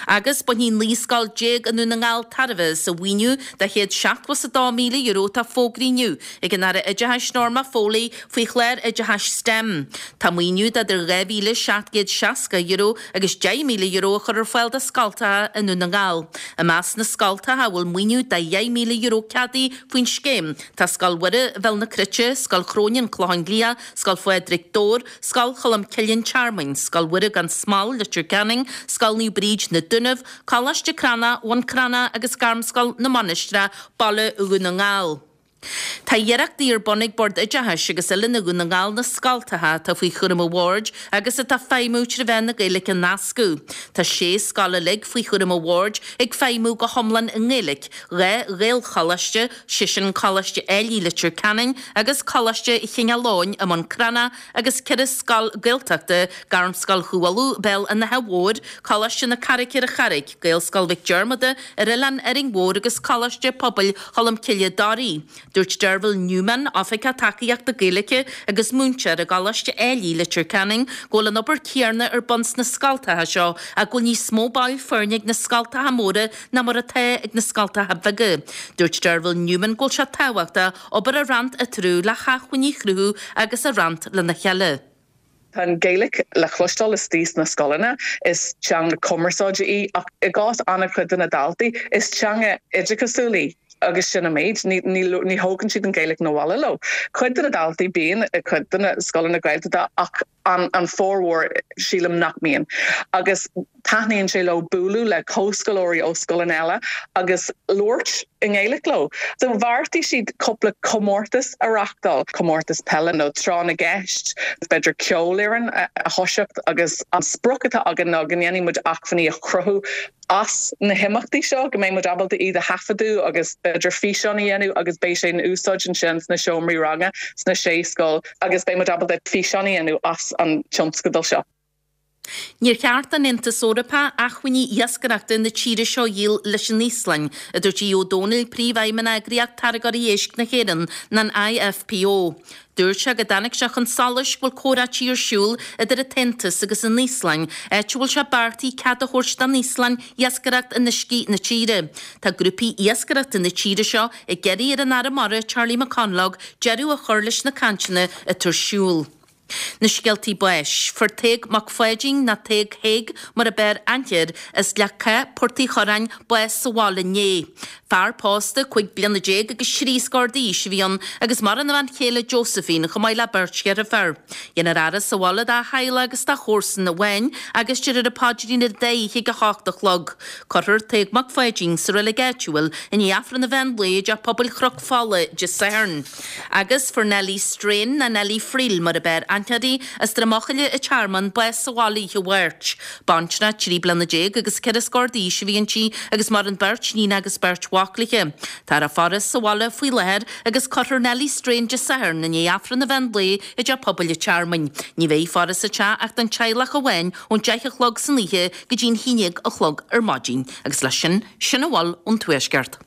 Agus bainfidh 19 scoil i nDún na nGall tairbhe as an mhaoiniú de €172,000 atá fógraithe inniu ag an Aire Oideachais Norma Foley faoi chlár oideachais stem. Tá maoiniú de idir €2,760 agus €10,000 á chur ar fáil do scoltacha i nDún na nGall. I measc na scoltacha a bhfuil maoiniú de €10,000 ceadaithe faoin scéim, Tá Scoil Mhuire, Bhéal na Cruite, Scoil Chróine, An Clochán Liath, Scoil Phádraig, Dobhar, Scoil Cholm Cille, An Tearmainn, Scoil Mhuire gan Smál, Leitir Ceanainn, Scoil Naomh Bríd, Na Dúnaibh, Coláiste Cranncha, Bhun Cranncha agus Gairmscoil na Mainistreach, Baile Dhún na nGall. Tá iarrachtaí ar bun ag Bord Oideachais agus Oiliúna Dhún na nGall na scoltacha atá faoi chúram an bhoird agus atá ag feidhmiú trí mheán na Gaeilge a nascadh. Tá sé scoil uilig faoi chúram an bhoird ag feidhmiú go hiomlán i nGaeilge, 2 Ghaelcholáiste, sé sin Coláiste Ailigh Leitir Ceanainn agus Coláiste Chineál Eoghain i mBun Cranncha agus 4 scoil Gaeltachta, Gairmscoil Chú Uladh, Béal an Átha Mhóir, Coláiste na Carraice ar an Charraig, Gaelscoil Mhic Diarmada ar Oileán Árainn Mhór agus Coláiste Pobail Cholmcille, Doirí. Dúirt Derval Newman, Oifigeach Tacaíochta Gaeilge agus múinteoir i gColáiste Ailigh, Leitir Ceanainn, go bhfuil an obair chéanna ar bun sna scoltacha seo ach go bhfuil níos mó baill foirne ag na scoltacha móra ná mar atá ag na scoltacha beaga. Dúirt Derval Newman go bhfuil sé tábhachtach obair a roinnt eatarthu le hacmhainní a chruthú agus a roinnt lena chéile. Tá an Ghaeilge le cloisteáil istigh sna scoileanna, is teanga cumarsáide í ach i gcás an-chuid de na daltaí, is teanga oideachasúil í agus sin an méid. Ní, ní, ní thógann siad an Ghaeilge 'na bhaile leo. Cuid de na daltaí bíonn i cuid de na scoileanna Gaeltachta ach. an an formhór sílim nach mbíonn. Agus taitníonn sé leo bualadh le comhscoláirí ó scoileanna eile agus labhairt i nGaeilge leo. So bheartaigh siad cúpla comórtas a reachtáil, comórtas peile nó tráth na gceist, b'fhéidir ceolfhoireann a thoiseacht agus an sprioc atá againn ná go ndéanfaidh muid acmhainní a chruthú as na himeachtaí seo, go mbeidh muid ábalta iad a thaifeadadh agus b'fhéidir físeán a dhéanamh agus beidh sé in úsáid ansin sna seomraí ranga sna sé scoil agus beidh muid ábalta físeán a dhéanamh as an tionscadal seo. Níor cheart don Aontas Eorpach acmhainní iascaireachta na tíre seo a dhíol leis an Íoslainn, a dúirt Aodh Ó Domhnaill, Príomhfheidhmeannach Eagraíocht Táirgeoirí Éisc na hÉireann, an IFPO. Dúirt sé go dtáinig sé chun solais go bhfuil comhráití ar siúl idir an tAontas agus an Íoslainn, áit a bhfuil sé beartaithe cead a thabhairt don Íoslainn iascaireacht in uiscí na tíre. Tá grúpaí iascaireachta na tíre seo ag iarraidh ar an Aire Mara, Charlie McConalogue, deireadh a chur leis na cainteanna atá ar siúl. Na scéaltaí báis. Fuair Tadhg Mac Pháidín, nó Tadhg Thaidhg mar a b'fhearr aithne air, as Leac Cath, Port Uí Churráin, bás sa bhaile inné. Fear pósta, 15 bliana agus thrí scór d'aois a bhí ann agus maireann a bhean chéile Josephine chomh maith le beirt dheirféar. Dhéanfar a fhaire sa bhaile dá theaghlach agus dá chomharsain amháin agus déarfar an paidrín ar an dá oíche ag 8 a chlog. Cuirfear Tadhg Mac Pháidín sa reilig áitiúil i ndiaidh Aifreann an mheán lae i dTeach Pobail Chnoc Fola Dé Sathairn. Agus fuair Nellie Strain, nó Nellie Friel mar a b'fhearr aithne uirthi, as Droim Eochaille an Tearmann, bás sa bhaile oíche Mháirt. Baintreach 13 bliana agus ceithre scór d'aois a bhí inti agus maireann beirt níon agus beirt mhac léi. Táthar á faire sa bhaile faoi láthair agus cuirfear Nellie Strain Dé Sathairn i ndiaidh Aifreann an mheán lae i dTeach Pobail an Tearmainn. Ní bheidh faire sa teach ach don teaghlach amháin ón 10 a chlog san oíche go dtí an 11 a chlog ar maidin. Agus leis sin, sin a bhfuil ón Tuaisceart.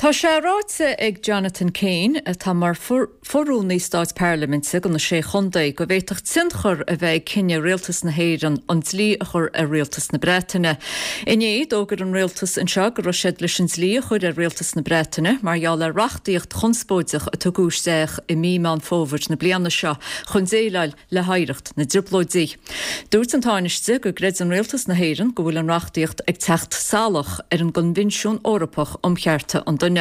Tá sé ráite ag Jonathan Keane, atá mar fho-rúnaí stáit parlaiminte do na Sé Chontae, go bhféadfadh tionchar a bheith ag cinneadh Rialtas na hÉireann an dlí a chur ar Rialtas na Breataine. Inné, d'fhógair an Rialtas anseo go raibh siad leis an dlí a chur ar Rialtas na Breataine mar gheall ar reachtaíocht chonspóideach a tugadh isteach i mí Meán Fómhair na bliana seo chun déileáil le hoidhreacht na dTrioblóidí. Dúirt an Tánaiste go gcreideann Rialtas na hÉireann go bhfuil an reachtaíocht ag teacht salach ar an gCoinbhinsiún Eorpach um Chearta an Duine.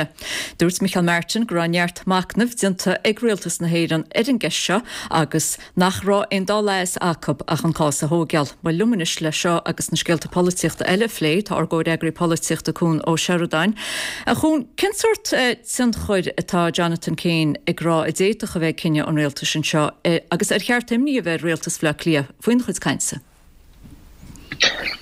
Dúirt Micheál Martin go raibh neart machnaimh déanta ag Rialtas na hÉireann ar an gceist seo agus nach raibh aon dá leigheas acu ach an cás a thóigeáil. Bhuel, liom anois le seo agus na scéalta polaitíochta eile a phlé tá ár gcomhfhreagraí polaitíochta Cuan Ó Seireadáin. A Chuain, cén sórt tionchair atá Jonathan Keane ag rá a d'fhéadfadh a bheith ag cinneadh an rialtais anseo agus ar cheart imní a bheith ar rialtas Bhaile Átha Cliath faoina chuid cainte?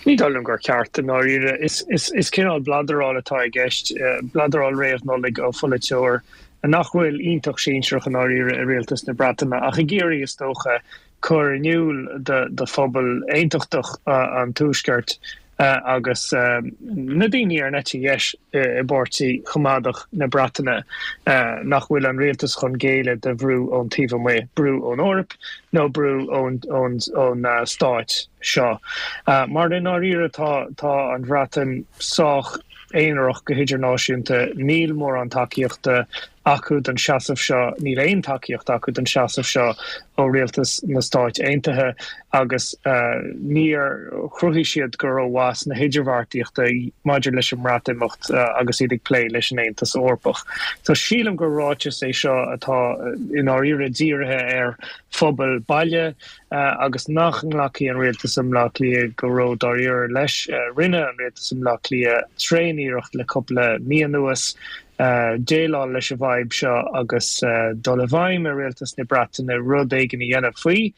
Ní dóigh liom gur ceart, i ndáiríre. Is cineál bladaráil atá i gceist, bladaráil réamh-Nollag ó pholaiteoir nach bhfuil iontach sinsearach i ndáiríre i rialtas na Breataine ach ag iarraidh, is dócha, cur in iúl do phobal aontachtach an Tuaiscirt agus na daoine ar an eite dheis i bPáirtí Choimeádach na Breataine nach bhfuil an rialtas chun géilleadh do bhrú ón taobh amuigh, brú ón Eoraip nó brú ón stáit seo. Mar i ndáiríre tá an Bhreatain sách aonarach go hidirnáisiúnta, níl mórán tacaíochta acu don seasamh seo, níl aon tacaíocht acu don seasamh seo ó rialtas na Stáit Aontaithe agus níor chruthaigh siad go rómhaith sna hidirbheartaíochta maidir leis an mBreatimeacht agus iad ag plé leis an Aontas Eorpach. So sílim gur ráiteas é seo atá i ndáiríre dírithe ar phobal baile agus nach nglacfaidh an rialtas i mBleá Cliath go ró-dáiríre leis. Rinne an rialtas i mBleá Cliath tréan-iarracht le cúpla mí anuas déileáil leis an bhfadhb seo agus dul i bhfeidhm ar rialtas na Breataine rud éigin a dhéanamh faoi.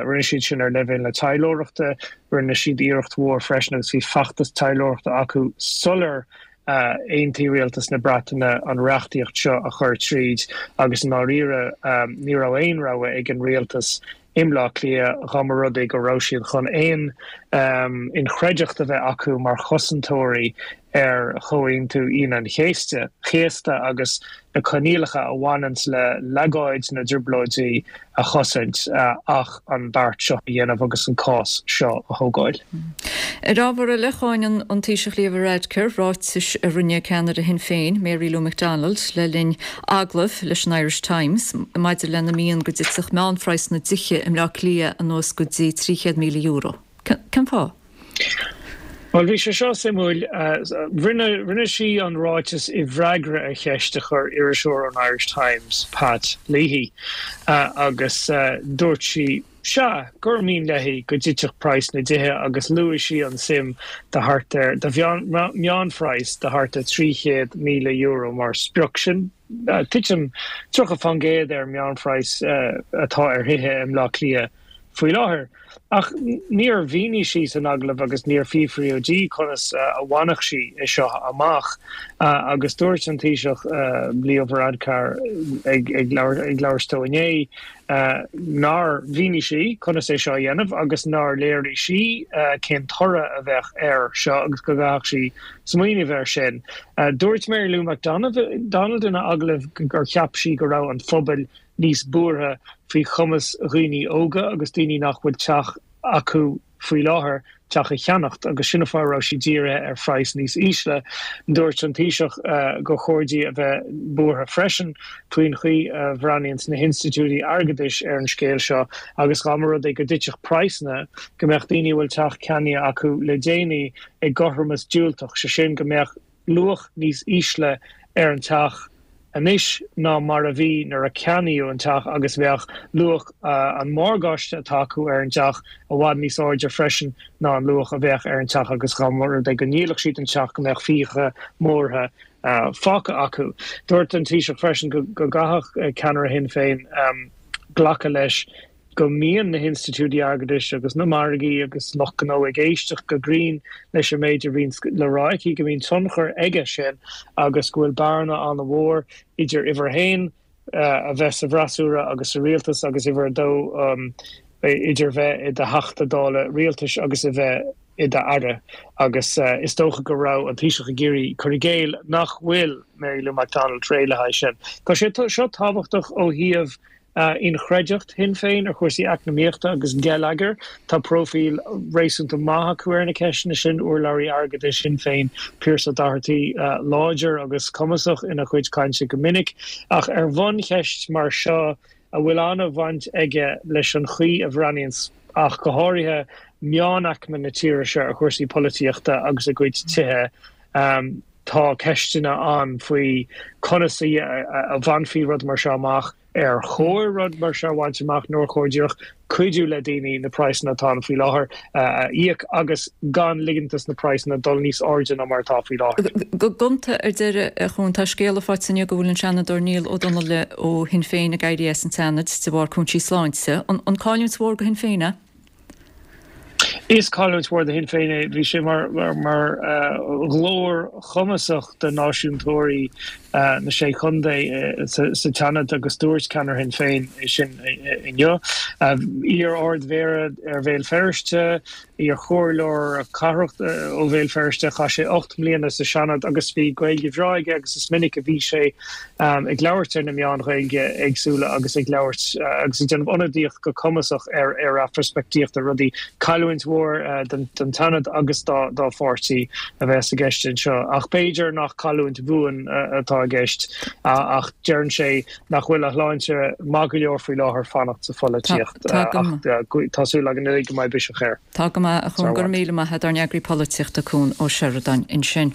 Rinne siad sin ar leibhéal na taidhleoireachta. Rinne siad iarracht mhór freisin agus bhí feachtas taidhleoireachta acu sular aontaigh rialtas na Breataine an reachtaíocht seo a chur tríd agus i ndáiríre ní raibh aon rogha ag an rialtas i mBleá Cliath dá mba rud é go raibh siad chun aon inchreidteacht a bheith acu mar chosantóirí ar Chomhaontú Aoine an Chéasta agus na coinníollacha a bhaineanns le leagáid na dTrioblóidí a chosaint ach an beart seo a dhéanamh agus an cás seo a thógáil. Ar ábhar eile, cháin an Taoiseach Leo Varadkar ráitis a rinne ceannaire Shinn Féin, Mary Lou McDonald, le linn agallaimh leis an Irish Times maidir lena mian go dtitfeadh meánphraghas na dtithe i mBleá Cliath anuas go dtí €300,000. Cén fáth? Bhuel, bhí sé seo suimiúil. Rinne, rinne sí an ráiteas i bhfreagra ar cheist a chuir iriseoir ón Irish Times, Pat Leahy, agus dúirt sí, sea, gur mian léi go dtitfeadh praghas na dtithe agus luaigh sí an suim de thart ar, de mheánphraghas de thart ar €300,000 mar sprioc. Sin titim 30% ar an meánphraghas atá ar thithe i mBleá Cliath faoi láthair. Ach níor mhínigh sí san agallamh agus níor fiafraíodh di conas a bhainfeadh sí é seo amach. Agus dúirt an Taoiseach Leo Varadkar ag labhairt dó inné nár mhínigh sí conas é seo a dhéanamh agus nár léirigh sí cén toradh a bheadh air seo agus go gcaithfeadh sí smaoineamh air sin. Dúirt Mary Lou McDonald ina agallamh gur cheap sí go raibh an phobail níos buartha faoi chumas dhaoine óga agus daoine nach bhfuil teach acu faoi láthair teach a cheannacht agus sin an fáth a raibh sí dírithe ar phraghas níos ísle. Dúirt an Taoiseach gur chóir di a bheith buartha freisin faoin chaoi a bhreathnaíonn na hinstitiúidí airgeadais ar an scéal seo agus dá mba rud é go dtitfeadh praghsanna go mbeadh daoine a bhfuil teach ceannaithe acu le déanaí i gcothromas diúltach, sé sin go mbeadh luach níos ísle ar an teach anois ná mar a bhí nuair a ceannaíodh an teach agus bheadh luach an mhorgáiste atá acu ar an dteach i bhfad níos airde freisin ná an luach a bheadh ar an teach agus dá mba rud é go ndíolfadh siad an teach go mbeadh fiacha móra fágtha acu. Dúirt an Taoiseach freisin go gcaithfeadh ceannaire Shinn Féin glacadh leis go mbíonn na hinstitiúidí airgeadais agus na margaí agus lucht gnó ag éisteacht go grinn leis an méid a bhíonn le rá aici, go mbíonn tionchar aige sin agus go bhfuil bearna an-mhór idir uimhir a haon, a bheith sa bhfreasúra agus sa rialtas agus uimhir a dó, idir bheith i do Theachta Dála rialtais agus a bheith i d'aire. Agus is dócha go raibh an Taoiseach ag iarraidh cur i gcéill nach bhfuil Mary Lou McDonald réidh le haghaidh sin. Tá sé seo tábhachtach ó thaobh Inchreidteacht Shinn Féin ar chúrsaí eacnamaíochta agus geilleagair. Tá próifíl réasúnta maith acu ar na ceisteanna sin, urlabhraí airgeadais Shinn Féin, Pearse Doherty, láidir agus cumasach ina chuid cainte go minic. Ach ar bhuncheist mar seo, a bhfuil an-bhaint aige leis an chaoi a bhreathnaíonns, ach go háirithe, meánaicme na tíre seo ar chúrsaí polaitíochta agus a gcuid tithe, Tá ceisteanna ann faoi conas a bhainfí rud mar seo amach, ar chóir rud mar seo a bhaint amach nó ar chóir díreach cuidiú le daoine na praghsanna atá ann faoi láthair a íoc agus gan ligint dos na praghsanna dul níos airde ná mar atá faoi láthair. Go gonta ar deireadh, a Chuain, tá scéala faighte inniu go bhfuil an Seanadóir Niall Ó Donnghaile ó Shinn Féin ag éirí as an Seanad de bharr cúinsí sláinte. An cailliúint mhór do Shinn Féin é? Is cailliúint mhór do Shinn Féin é. Bhí sé mar ghlór chumasach do náisiúntóirí na Sé Chontae sa tSeanad agus dúirt ceannaire Shinn Féin é sin inniu. Iar-Ard-Mhéara ar Bhéal Feirste, iar-chomhairleoir cathrach ó Bhéal Feirste, chaith sé 8 mbliana sa Seanad agus bhí Gaeilge bhreá aige agus is minic a bhí sé ag labhairt ar na meáin Ghaeilge éagsúla agus ag labhairt agus ag déanamh ionadaíocht go cumasach ar ar a pheirspictíocht ar rudaí. Cailliúint mhór don tSeanad agus dá pháirtí a bheas i gceist anseo. Ach b'fhéidir nach cailliúint bhuan atá i gceist ach deireann sé nach bhfuil a shláinte maith go leor faoi láthair fanacht sa pholaitíocht ach tá súil againn uilig go mbeidh biseach air. Tá go maith, a Chuain. Go raibh míle maith agat, ár n-eagraí polaitíochta Cuan Ó Seireadáin ansin.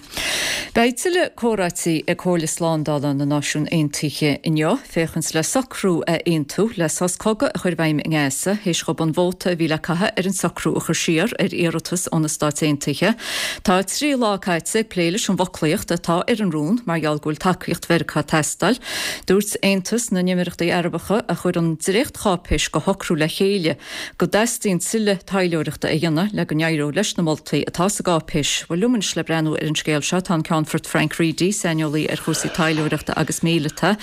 Beidh tuilleadh comhráití ag Comhairle Slándála na Náisiún Aontaithe inniu, féachaint le socrú a aontú le sos cogaidh a chur i bhfeidhm i nGaza, théis dhóibh an vóta a bhí le caitheamh ar an socrú a chur siar ar iarratas ó na Stáit Aontaithe. Tá 3 lá caite ag plé leis an bhfoclaíocht atá ar an rún mar gheall go bhfuil tacaíocht Mheiriceá ag teastáil. Dúirt Aontas na nÉimíríochtaí Arabacha, a chuir an dréachtcháipéis de shocrú le chéile, go dteastaíonn tuilleadh taidhleoireachta a dhéanamh le go n-éireodh leis na moltaí atá sa gcáipéis. Bhuel, liom anois le breathnú ar an scéal seo tá an Ceannfort Frank Reidy, saineolaí ar chúrsaí taidhleoireachta agus míleata.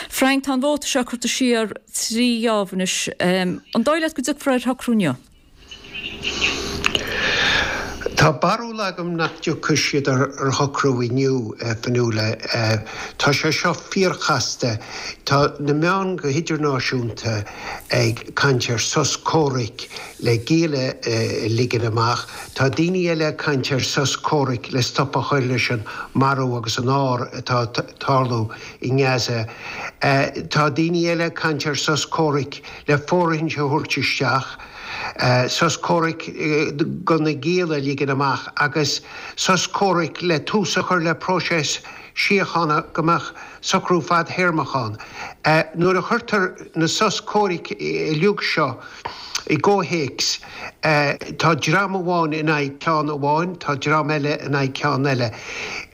Frank, tá an vóta seo curtha siar 3 gheábh anois. An dóigh leat go dtiocfar ar shocrú inniu? Tá barúil agam nach dtiocfaidh siad ar shocrú inniu, a Fionnuala. Tá sé seo fíorchasta. Tá na meáin go hidirnáisiúnta ag caint ar sos comhraic le gialla a ligean amach. Tá daoine eile ag caint ar sos comhraic le stop a chur leis an marú agus an ár atá ag tarlú i nGaza. Tá daoine eile ag caint ar sos comhraic le fóirithint a thabhairt isteach, sos comhraic do na gialla a ligean. ligean amach agus sos comhraic le tús a chur le próiseas síochána go mbeadh socrú fadthéarmach ann. Nuair a chuirtear na sos comhraic uilig seo i gcomhthéacs, tá dream amháin in aghaidh ceann amháin, tá dream eile in aghaidh ceann eile.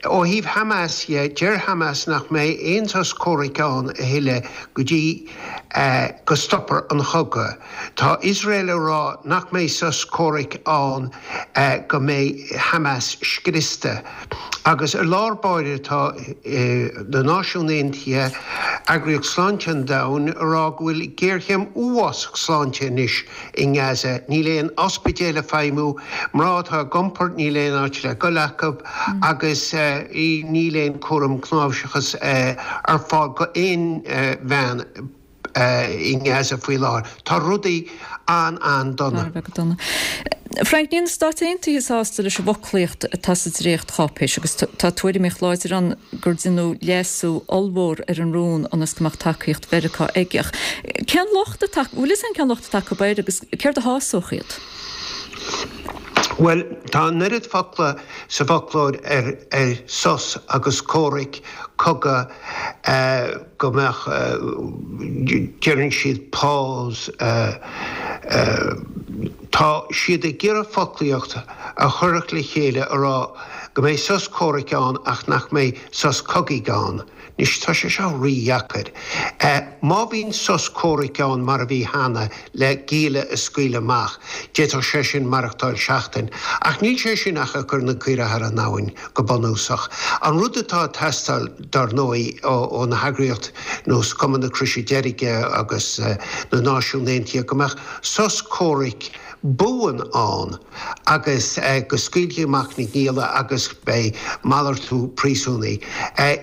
Ó thaobh Hamas dhe, deir Hamas nach mbeidh aon sos comhraic ann a thuilleadh go dtí go stopfar an chogadh. Tá Iosrael ag rá nach mbeidh sos comhraic ann go mbeidh Hamas scriosta. Agus i lár báire tá na Náisiúin Aontaithe, Eagraíocht Sláinte an Domhain, ag rá go bhfuil géarchéim uafásach sláinte anois i nGaza. Níl aon ospidéal ag feidhmiú, mná atá ag iompar níl aon áit le goil acu agus níl aon cúram cnáimhseachais ar fáil go aon bhean. i nGaza faoi láthair. Tá rudaí an-an-dona. Thar a bheith dona. Frank, níl na Stáit Aontaithe sásta leis an bhfoclaíocht atá sa dréacht-cháipéis agus tá tuairimíocht láidir ann gur deineadh leasú ollmhór ar an rún ionas go mbeadh tacaíocht Mheiriceá aige. Cén locht atá, bhfuil fhios a'm cén locht atá acu air agus céard a shásódh iad? Bhuel, tá an oiread focla sa bhfoclóir ar sos agus comhraic, cogadh, go mbeadh, deireann siad pause, tá siad ag iarraidh foclaíocht a chuirfeadh le chéile a rá go mbeidh sos comhraic ann ach nach mbeidh sos cogaidh ann. Anois tá sé seo rí-dheacair. Má bhíonn sos comhraic ann mar a bhí cheana le gialla a scaoileadh amach, d'fhéadfadh sé sin maireachtáil seachtain. Ach níl sé sin ach ag cur na caoirigh thar an abhainn, go bunúsach. An rud atá ag teastáil, dar ndóigh, ó na heagraíocht nós Cumann na Croise Deirge agus na Náisiún Aontaithe, go mbeadh sos comhraic buan ann agus go scaoilfí amach na gialla agus beidh malartú príosúnaigh.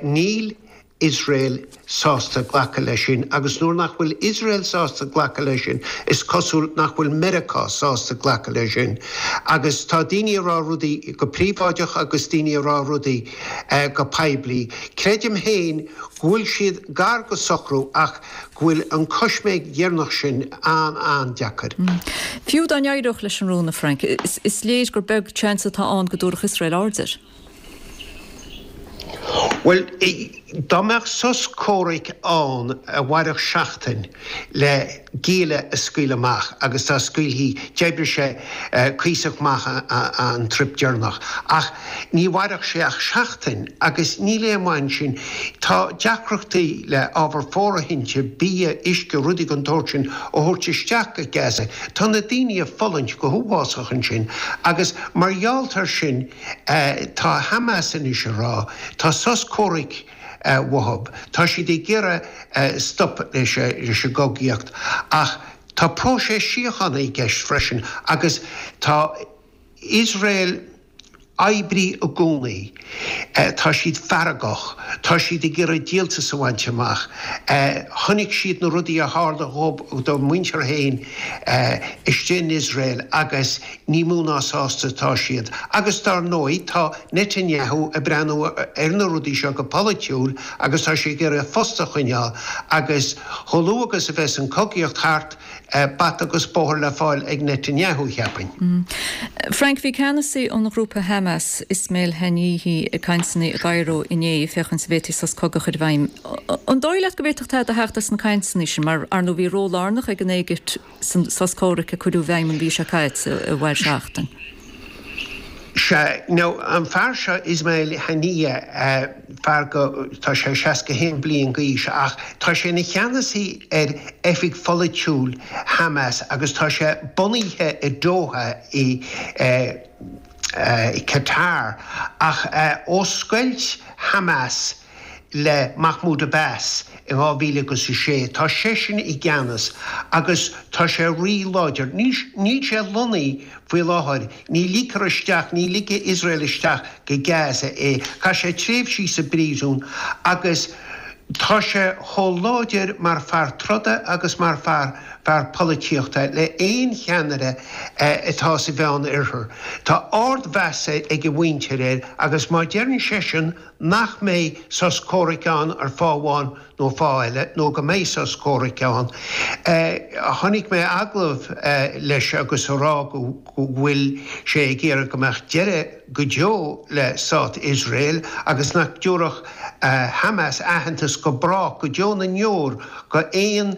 Níl Iosrael sásta glacadh leis sin agus nuair nach bhfuil Iosrael sásta glacadh leis sin, is cosúil nach bhfuil Meiriceá sásta glacadh leis sin. Agus tá daoine ag rá rudaí go príobháideach agus daoine ag rá rudaí go poiblí. Creidim féin go bhfuil siad gar go socrú ach go bhfuil an choisméig dheireanach sin an-an-deacair. Fiú dá n-éireodh leis an rún, a Frank, is léir gur beag seans atá ann go dtabharfadh Iosrael aird air. Bhuel, dá mbeadh sos comhraic ann a mhairfeadh seachtain le gialla a scaoileadh amach, agus dá scaoilfí, d'oibrigh sé cuíosach maith an trip deireanach, ach ní mhairfeadh sé ach seachtain agus níl aon mhaith ansin. Tá deacrachtaí le ábhar fóirithinte, bia, uisce, rudaí den tsórt sin a thabhairt isteach go Gaza. Tá na daoine ag fulaingt go huafásach ansin agus mar gheall air sin, Tá Hamas anois ag rá, tá sos comhraic uathu, tá siad ag iarraidh stop leis an gcogaíocht ach tá próiseas síochána i gceist freisin agus tá Iosrael oibrithe i gcónaí, tá siad feargach, tá siad ag iarraidh díoltas a bhaint amach. Chonaic siad na rudaí a tharla dá muintir féin istigh in Iosrael agus Ní mó ná sásta atá siad. Agus dar ndóigh tá Netanyahu ag breathnú ar na rudaí seo go polaitiúil agus tá sé ag iarraidh a phost a choinneáil agus chomh luath agus a bheas an cogaíocht thart, bata agus bóthar le fáil ag Netanyahu, cheapfainn. Frank, bhí ceannasaí an ghrúpa Hamas, Ismail Haniyeh, ag cainteanna i gCairo inné féachaint an bhféadfaí sos cogaidh a chur i bhfeidhm. An dóigh leat go bhféadfadh tada a theacht as na cainteanna sin mar, ar ndóigh, bhí ról lárnach ag an Éigipt san sos comhraic a cuireadh i bhfeidhm an mhí seo caite a mhair seachtain. Sea, now, an fear seo, Ismail Haniyeh, fear go, tá sé 61 bliain d'aois ach tá sé ina cheannasaí ar oifig pholaitiúil Hamas agus tá sé bunaithe i Doha i Qatar ach ó scoilt Hamas le Mahmoud Abbas in 2006. Tá seisean i gceannas agus tá sé rí-láidir. Níl sé lonnaithe faoi láthair, ní ligtear isteach, ní ligfidh Iosrael isteach go Gaza é. Chaith sé tréimhsí sa bpríosún agus tá sé chomh láidir mar fear troda agus mar fear fear polaitíochta le aon cheannaire atá sa Mheán Oirthear. Tá ardmheas ag a mhuintir air agus má deireann seisean. nach mbeidh sos comhraic ann ar fáth amháin nó fáth eile, nó go mbeidh sos comhraic ann. Chonaic mé agallamh leis agus a rá go bhfuil sé ag iarraidh go mbeadh deireadh go deo le Stát Iosrael agus nach dtabharfadh Hamas aitheantas go brách, go deo na ndeor, go aon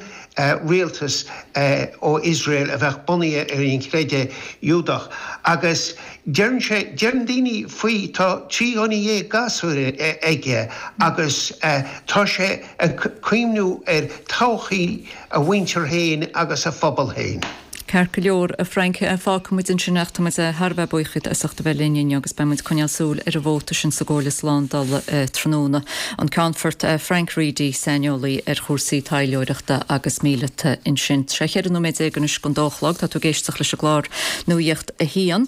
rialtas ó Iosrael a bheadh bunaithe ar an chreideamh Iúdach. Agus deireann sé, deireann daoine faoi, tá 13 ghunna gasúir aige agus tá sé ag cuimhniú ar todhchaí a mhuintir féin agus a phobal féin. Ceart go leor, a Frank, fágfaidh muid ansin ach tá muid thar a bheith buíoch díot as ucht a bheith linn inniu agus beidh muid ag coinneáil súil ar an vóta sin sa gComhairle Slándála tráthnóna. An Ceannfort Frank Reidy, saineolaí ar chúrsaí taidhleoireachta agus míleata ansin. Tá sé 14 nóiméad anois don dó a chlog, tá tú ag éisteacht leis an gclár Nuacht a hAon.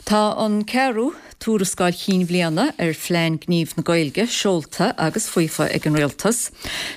Tá an ceathrú. Tuarascáil chinn bhliana ar Phlean Gnímh na Gaeilge seolta agus faofa ag an Rialtas.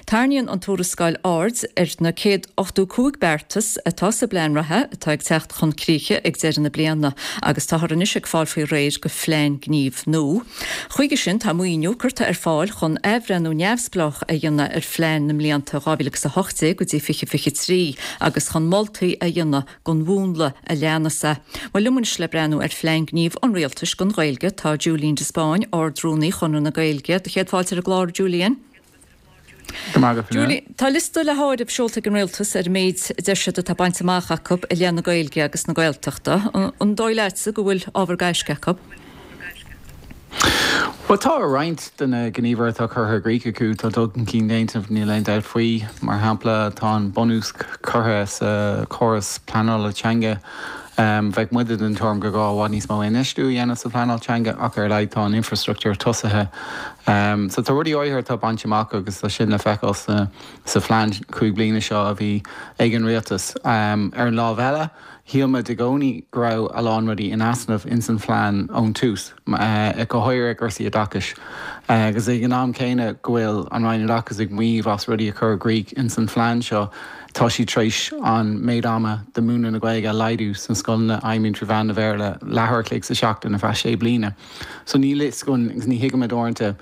Tarraingíonn an tuarascáil aird ar na 185 beartas atá sa bplean reatha atá ag teacht chun críche ag deireadh na bliana agus táthar anois ag fáil faoi réir do phlean gnímh nua. Chuige sin tá maoiniú curtha ar fáil chun athbhreithniú neamhspleách a dhéanamh ar phlean na mblianta 2018 go dtí 2023 agus chun moltaí a dhéanamh don mhúnla a leanas é. Bhuel, liom anois le breathnú ar Phlean Gnímh an Rialtais don Ghaeilge tá Julian de Spáinn, Ard-Rúnaí Chonradh na Gaeilge. Do chéad fáilte ar an gclár, a Julian. Go raibh maith agat, Julian, tá liosta le háireamh seolta ag an Rialtas ar an méid a deir siad atá bainte amach acu i leith na Gaeilge agus na Gaeltachta. An dóigh leatsa go bhfuil ábhar gaisce acu? Bhuel, tá roinnt de na gníomhartha atá curtha i gcrích acu, tá dul chun cinn déanta, níl aon dabht faoi. Mar shampla, tá an bunús curtha sa chóras pleanála teanga. Bheadh muide den tuairim gur gá i bhfad níos mó infheistiú a dhéanamh sa phleanáil teanga ach ar a laghad tá an infreastruchtúr tosaithe. So tá rudaí áirithe atá bainte amach agus tá sin le feiceáil sa phlean chúig bliana seo a bhí ag an rialtas. Ar an lámh eile, Shíl muid i gcónaí go raibh a lán rudaí in easnamh ins an phlean ón tús, go háirithe cúrsaí oideachais. Agus ag an am céanna go bhfuil an Roinn Oideachais ag maíomh as rudaí a chur i gcrích ins an phlean seo, tá siad tar éis an méid ama do múineadh na Gaeilge a laghdú sna scoileanna a fheidhmíonn trí mheán na Bhéarla leathuair a chloig sa seachtain ar feadh sé bliana. So níl fhios againn agus ní thuigimid uaireanta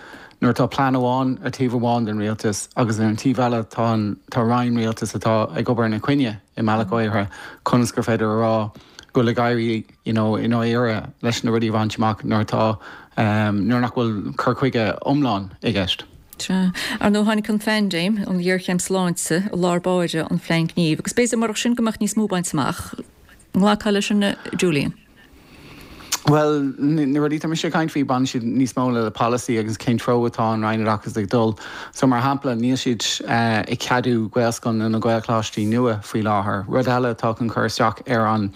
nuair atá plean amháin ar taobh amháin den rialtas agus ar an taobh eile tá an tá roinn rialtais atá ag obair ina coinne. i mbealach áirithe, conas gur féidir a rá go bhfuil ag éirí you know i ndáiríre leis na rudaí a bhaint amach nuair atá nuair nach bhfuil cur chuige iomlán i gceist. Sea. Ar ndóigh tháinig an phaindéim, an ghéarchéim sláinte, i lár báire an phlean gnímh agus b'fhéidir murach sin go mbeadh níos mó bainte amach. An nglacfá leis sin, a Julian? Bhuel, na rudaí atá mise ag caint faoi, baineann siad níos mó le polasaí agus cén treo atá an Roinn Oideachais ag dul. So, mar shampla, níl siad ag ceadú Gaelscoileanna nó Gaelcholáistí nua faoi láthair. Rud eile atá chun cur isteach ar an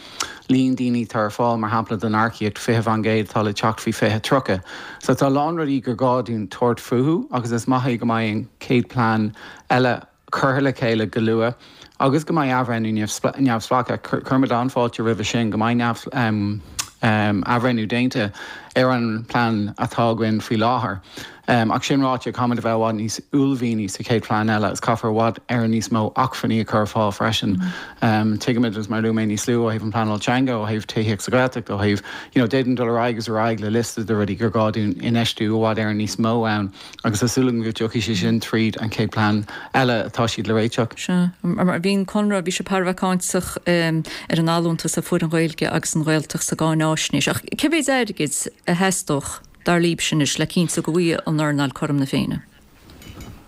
líon daoine atá ar fáil, mar shampla, don earcaíocht, 20% atá le teacht faoi 2030. So, tá a lán rudaí gur gá dúinn tabhairt fúthu agus is maith é go mbeidh an chéad plean eile curtha le chéile go luath agus go mbeidh athbhreithniú neamhspleách. Cuirimid an-fháilte roimhe sin, go mbeidh athbhreithniú déanta ar an bplean atá againn faoi láthair. Ach sin ráite, caithfimid a bheith i bhfad níos uaillmhianaí sa chéad phlean eile agus caithfear i bhfad Éireann níos mó acmhainní a chur ar fáil freisin. Tuigimid, agus mar a luaigh mé níos luaithe, ó thaobh an phleanáil teanga, ó thaobh tithíocht sa Ghaeltacht, ó thaobh, you know, d'fhéadfainn dul ar aghaidh agus ar aghaidh le liosta de rudaí gur gá dúinn infheistiú i bhfad Éireann níos mó ann. Agus tá súil agam go dtiocfaidh sé sin tríd an chéad plean eile atá siad le réiteach. Sea. Mar bhí an Conradh, bhí sé thar a bheith cáinteach ar an allúntas a fuair an Ghaeilge agus an Ghaeltacht sa gcáináisnéis. Ach cé mhéid airgid a theastódh, dar libhse anois, le cinntiú go bhfaighidh an earnáil cothrom na Féinne?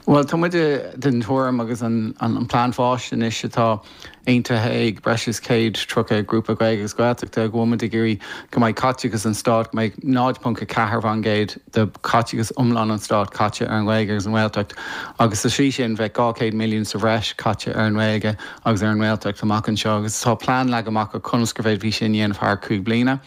Bhuel, tá muide den tuairim agus an plean fáis anois atá aontaithe ag breis is 130 grúpa Gaeilge agus Gaeltachta go bhfuil muid ag iarraidh go mbeidh caiteachas an stáit, go mbeidh 0.4% de chaiteachas iomlán an stáit caite ar an Ghaeilge agus an Ghaeltacht agus sa slí sin bheadh 200 milliún sa bhreis caite ar an nGaeilge agus ar an nGaeltacht amach anseo agus tá plean leagtha amach acu conas go bhféadfaí sin a dhéanamh thar chúig bliana.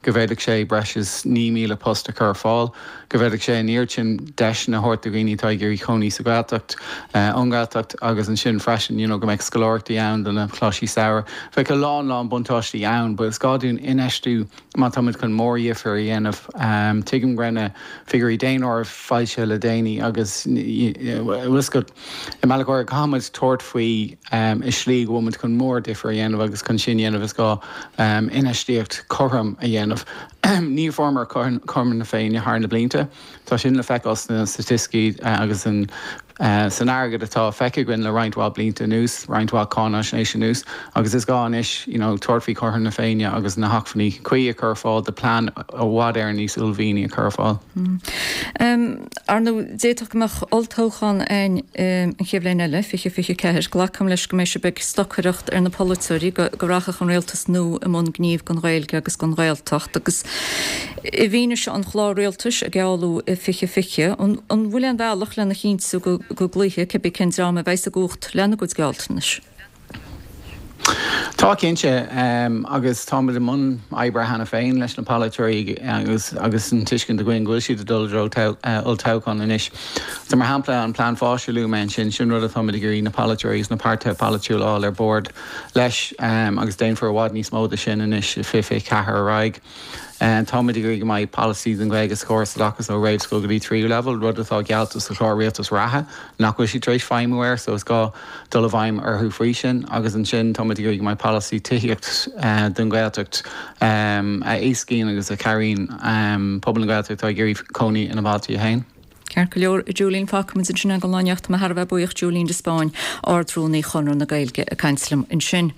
go bhféadfadh sé breis is 9,000 post a chur ar fáil, go bhféadfadh sé an oiread sin deiseanna a thabhairt do dhaoine atá ag iarraidh cónaí sa Ghaeltacht, ón nGaeltacht agus ansin freisin you know go mbeadh scoláireachtaí ann do na coláistí samhraidh. Bheadh a lán lán buntáistí ann but is gá dúinn infheistiú má tá muid chun mórdhifear a dhéanamh. Tuigim go raibh na figiúirí daonáirimh foilsithe le déanaí agus bhfuil fhios agat, i mbealach áirithe caithfidh muid tabhairt faoi i slí go bhfuil muid chun mórdhifear a dhéanamh agus chun sin a dhéanamh is gá infheistíocht chothrom a dhéanamh. Ní fuaireamar cothrom na Féinne thar na blianta. Tá sin le feiceáil sna staitisticí agus san airgead atá feicthe againn le roinnt mhaith blianta anuas, roinnt mhaith cáináisnéis anuas, agus is gá anois you know tabhairt faoi chothrom na Féinne agus na hacmhainní cuí a chur ar fáil do plean i bhfad Éireann níos uaillmhianaí a chur ar fáil. Ar ndóigh, d'fhéadfadh go mbeadh olltoghchán ann an chéad bhliain eile, 2024. Glacaim leis go mbeidh sibh ag stocaireacht ar na polaiteoirí go rachadh an rialtas nua i mbun gnímh don Ghaeilge agus don Ghaeltacht agus i bhfianaise an chláir rialtais a gealladh i 2020, an bhfuil aon bhealach lena chinntiú go gcloífidh cibé cén dream a bheas i gcumhacht lena gcuid gealltanais? Tá cinnte, agus táimid i mbun oibre cheana féin leis na polaiteoirí agus agus an tuiscint againn go bhfuil siad ag dul i dtreo olltoghchán anois. So mar shampla an plean fáis a luaigh mé ansin, sin rud atáimid ag iarraidh na polaiteoirí agus na páirtithe polaitiúla a fháil ar bord leis agus déanfar i bhfad níos mó de sin anois i 2024 ar aghaidh. Táimid ag iarraidh go mbeidh polasaí don Ghaeilge sa chóras oideachais ó réamhscoil go dtí tríú leibhéal, rud atá geallta sa chlár rialtais reatha nach bhfuil siad tar éis feidhmiú air so is gá dul i bhfeidhm orthu faoi sin. Agus ansin táimid ag iarraidh go mbeidh polasaí tithíocht don Ghaeltacht a éascaíonn agus a chabhraíonn pobal na Gaeltachta atá ag iarraidh cónaí ina mbailte féin. Ceart go leor, a Julian, fágfaimid ansin é don lá anocht. Tá mé thar a bheith buíoch, Julian de Spáinn, Ard-Rúnaí Chonradh na Gaeilge, ag caint liom ansin.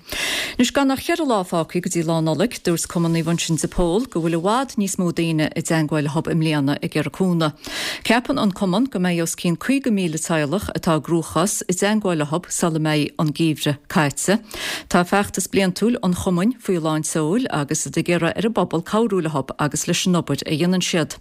Anois, gan ach cheithre lá fágtha go dtí Lá Nollag, dúirt Cumann Naomh Uinseann de Pól go bhfuil i bhfad níos mó daoine i dteangmháil leo i mbliana ag iarraidh cúnamh. Ceapann an Cumann go mbeidh os cionn 50,000 teaghlach atá i gcruachás i dteangmháil leo sula mbeidh an geimhreadh caite. Tá feachtas bliantúil an Chumainn faoi lán tseoil agus iad ag iarraidh ar an bpobal cabhrú leo agus leis an obair a dhéanann siad.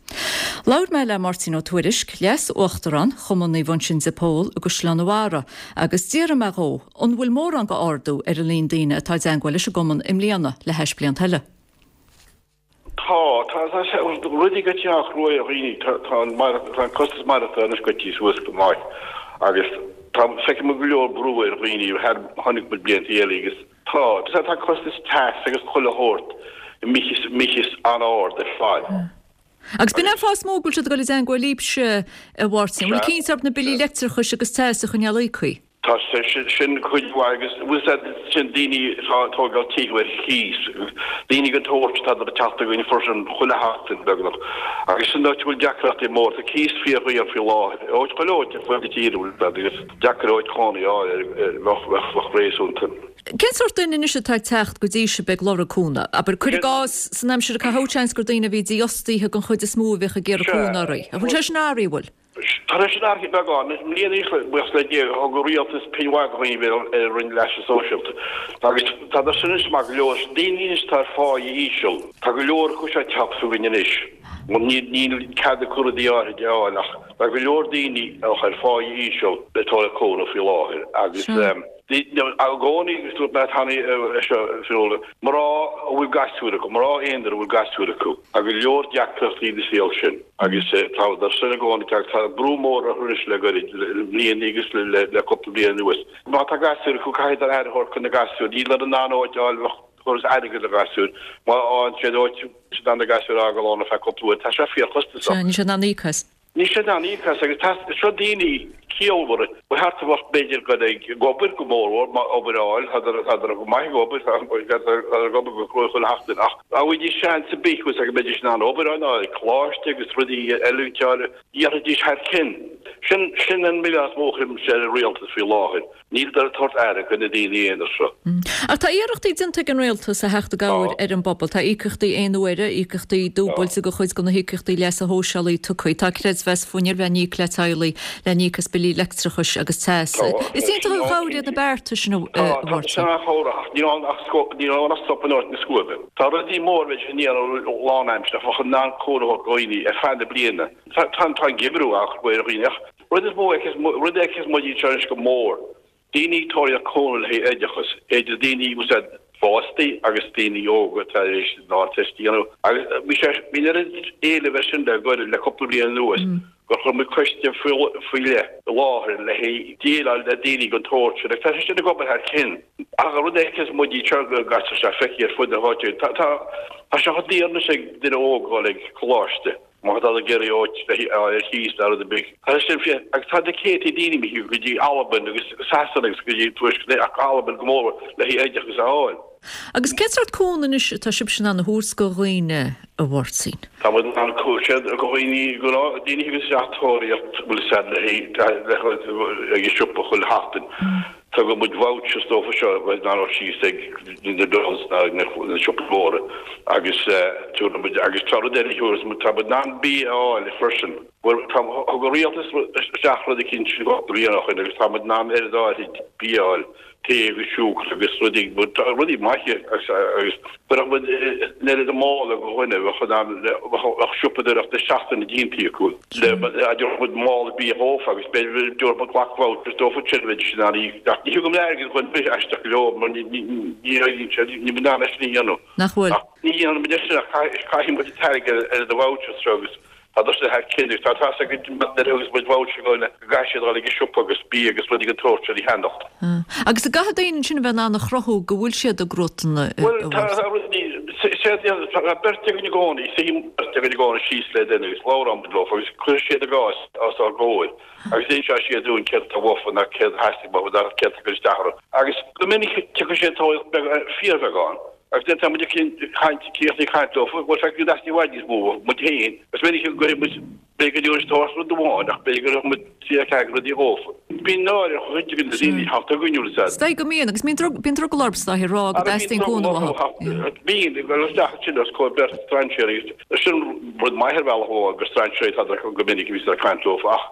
Labhair mé le Máirtín Ó Tuairisg, Leas-Uachtarán Chumann Naomh Uinseann de Pól i gCaisleán an Bharraigh, agus d'fhiafraigh mé dhó an bhfuil mórán go ardú ar an líon daoine atá i dteangmháil leis an gcumann i mbliana le hais blianta eile. Tá, tá, tá sé, rudaí goite an-chruaidh ar dhaoine, tá, tá an, tá an costas maireachtála anois goite suas go maith agus tá, feicim go leor brú ar dhaoine, chonaic muid blianta eile agus tá, tá, tá costas teas agus chuile shórt imithe an-ard ar fad. Agus b'in é an fáth is mó go bhfuil siad ag dul i dteangmháil libhse, a Mháirtín. An bhfuil cinnte orthu na billí leictreachais agus teas a choinneáil íoctha? Tá sé sin cuid mhaith agus bhfuil fhios a'd sin daoine atá ag tógáil tithe ar chíos, daoine den tsórt atá ag teacht chugainn freisin chuile sheachtain beagnach agus sin áit a bhfuil deacrachtaí móra. Tá cíos fíordhaor faoi láthair, áit chuile áit ar fud na tíre bhfuil fhios a'd agus deacair áit chónaí a fháil a bheadh réasúnta. Cén sórt duine anois atá ag teacht go dtí sibh ag lorg cúnamh? Abair, cuir i gcás, san aimsir a caitheadh, seans gur daoine a bhí dífhostaithe den chuid is mó a bhíodh ag iarraidh cúnamh oraibh. An bhfuil sé sin athraithe, an bhfuil? Tá sé sin athraithe beagán. I mbliana anois, buíochas le Dia, thug an rialtas pingin mhaith do dhaoine ar an Roinn Leasa Sóisialta agus tá sin anois maith go leor. Daoine anois atá ar pháighe íseal, tá go leor acu seo ag teacht chugainn anois. Níl cead acu rudaí áirithe a fháil ach tá go leor daoine ar pháighe íseal ag tabhairt cúnamh faoi láthair agus I gcónaí, agus dúirt mé cheana é seo, Fionnuala, mná a bhfuil gasúir acu, mná aonair a bhfuil gasúir acu, tá go leor deacrachtaí ina saol sin agus tá sin i gcónaí, tá brú mór orthu anois le goirid, le blianta agus le cúpla bliain anuas. Má tá gasúir acu, caithfidh siad aire a thabhairt do na gasúir, níl in ann áit a fháil a thabharfas airgead do ghasúir, má fhaigheann siad áit, níl siad in ann na gasúir a fhágáil ann ar feadh cúpla uair, tá sé fíorchostasach. Níl siad in ann íoc as. Níl siad in ann íoc as agus tá seo daoine ciallmhara. Ba cheart a bheadh b'fhéidir dul ag obair go mórmhór, má obair a fháil, tádar go maith ag obair, tádar ag obair go cruaidh chuile sheachtain ach dá bhfaighidís seans ar bith go mbeidís in ann obair a fháil, coláiste agus rudaí oiliúint a fháil, dhéanfaidís thar cionn. Sin sin an milleán is mó a chuirimse ar an rialtas faoi láthair. Níl ag tabhairt aire do na daoine aonair seo. Ach tá iarrachtaí déanta ag an rialtas a theacht i gcabhair ar an bpobal. Tá íocaíochtaí aon uaire, íocaíochtaí dúbailte do chuid de na híocaíochtaí leasa shóisialaigh tugtha. Tá creidmheas fuinnimh le n-íoc le teaghlaigh le n-íoc as billí leictreachais agus teas. Is iontach an chabhair iad na bearta sin a Tá, tá sin an-chabhrach ach níl ann ach níl ann ach sop in áit na scuaibe. Tá rudaí móra bheidís a ndéanamh lánaimseartha bheadh in ann cúnamh a thabhairt do dhaoine ar feadh na bliana. Tá tá an geimhreadh á chur ar dhaoine ach Rud is mó a fheiceas, rud a fheiceas muid anseo anois go mór, daoine ag tóraíocht cúnamh le haghaidh oideachas, idir daoine bhfuil siad fástaí agus daoine óga atá tar éis an Ardteist a dhéanamh. Agus bhí sé, bhí an oiread éilimh air sin le goirid, le cúpla bliain anuas, gur chuir muid coiste faoi leith i láthair le haghaidh déileáil le daoine den tsórt sin. Agus tá sé sin ag obair thar cionn. Ach an rud a fheiceas muid anseo go gcaitear sé feicthe ar fud na háite, tá, tá, tá sé chomh daor anois ag duine óg dul ag coláiste. Má tá tú ag iarraidh áit a fháil ar chíos ná rud ar bith. Tá sin fíor agus tá na céadtaí daoine imithe go dtí Albain agus Sasana agus go dtí Tuaisceart ach Albain go mór le haghaidh oideachas a fháil. Agus cén sórt cúnamh anois atá sibhse in ann a thabhairt go dhaoine, a Mháirtín? Tá muid in ann cúnamh do dhaoine, go daoine a thugas isteach tóraíocht, bhfuil a fhios a'd, le haghaidh ag an siopa chuile sheachtain. Tugann muid vouchers dófa seo a bheidh in ann dul síos ag na Dunnes ná na siopaí móra agus tabharfaidh muid, agus tá rud eile a thabharfas muid, tá muid in ann bia a fháil freisin. Bhuel, tá, thug an rialtas isteach rud eicínt cúpla bliain ó shin agus tá muid in ann oiread áirid bia a fháil. tae agus siúcra agus rudaí, rudaí maithe agus chuirfeadh muid an oiread i mála do dhuine, bheadh in ann, bheadh siopadóireacht na seachtaine déanta acu. Thabharfadh muid mála bia dhófa agus b'fhéidir dtabharfadh muid glac vouchers dófa ansin bheidís in ann í, ach ní thugaim airgead dhuine ar bith aisteach go leor mar ní éiríonn sé, níl muid in ann é sin a dhéanamh. Nach bhfuil? Ach ní dhéanann muid é sin ach caithfidh muid an t-airgead ar na vouchers seo agus Tá tusa thar cionn agus tá tá's agat nuair a thugas muid voucher do dhuine go gcaithfidh siad dul ag an siopa agus bia agus rudaí den tsórt sin a cheannacht. Agus an gcaithfidh daoine ansin a bheith in ann a chruthú go bhfuil siad i gcruatan a Bhuel, tá rudaí, tá beirt againn i gcónaí, suíonn beirt againn i gcónaí síos le duine agus labhraíonn muid leo agus cuireann siad a gcás os ár gcomhair agus inseoidh siad dúinn céard atá uafa ná céard a theastaigh uathu ná céard atá ag cur isteach orthu. Agus go minic tiocfaidh siad tóraíocht beag, fíorbheagán. Agus nuair atá muid ag caint, críochnaithe ag caint leo, bhuel, feicfidh tú i bhfad níos mó muid féin. Is minic go gcuirfidh muid, b'fhéidir go dtabharfaidh tabhairt rud amháin ach b'fhéidir go gcuirfidh muid trí nó ceathair rudaí dhófa. Bíonn náire ar chuid de na daoine a theacht chugainn, bhfuil a fhios a'd. Is dóigh go mbíonn, agus bíonn drogall orthu is dóigh a rá go dteastaíonn cúnamh uathu. Bíonn, ag dul isteach ansin os comhair beirt strainséirí agus sin rud maith ar bhealach amháin gur strainséirí atá go minic a bhíos ag caint leofa ach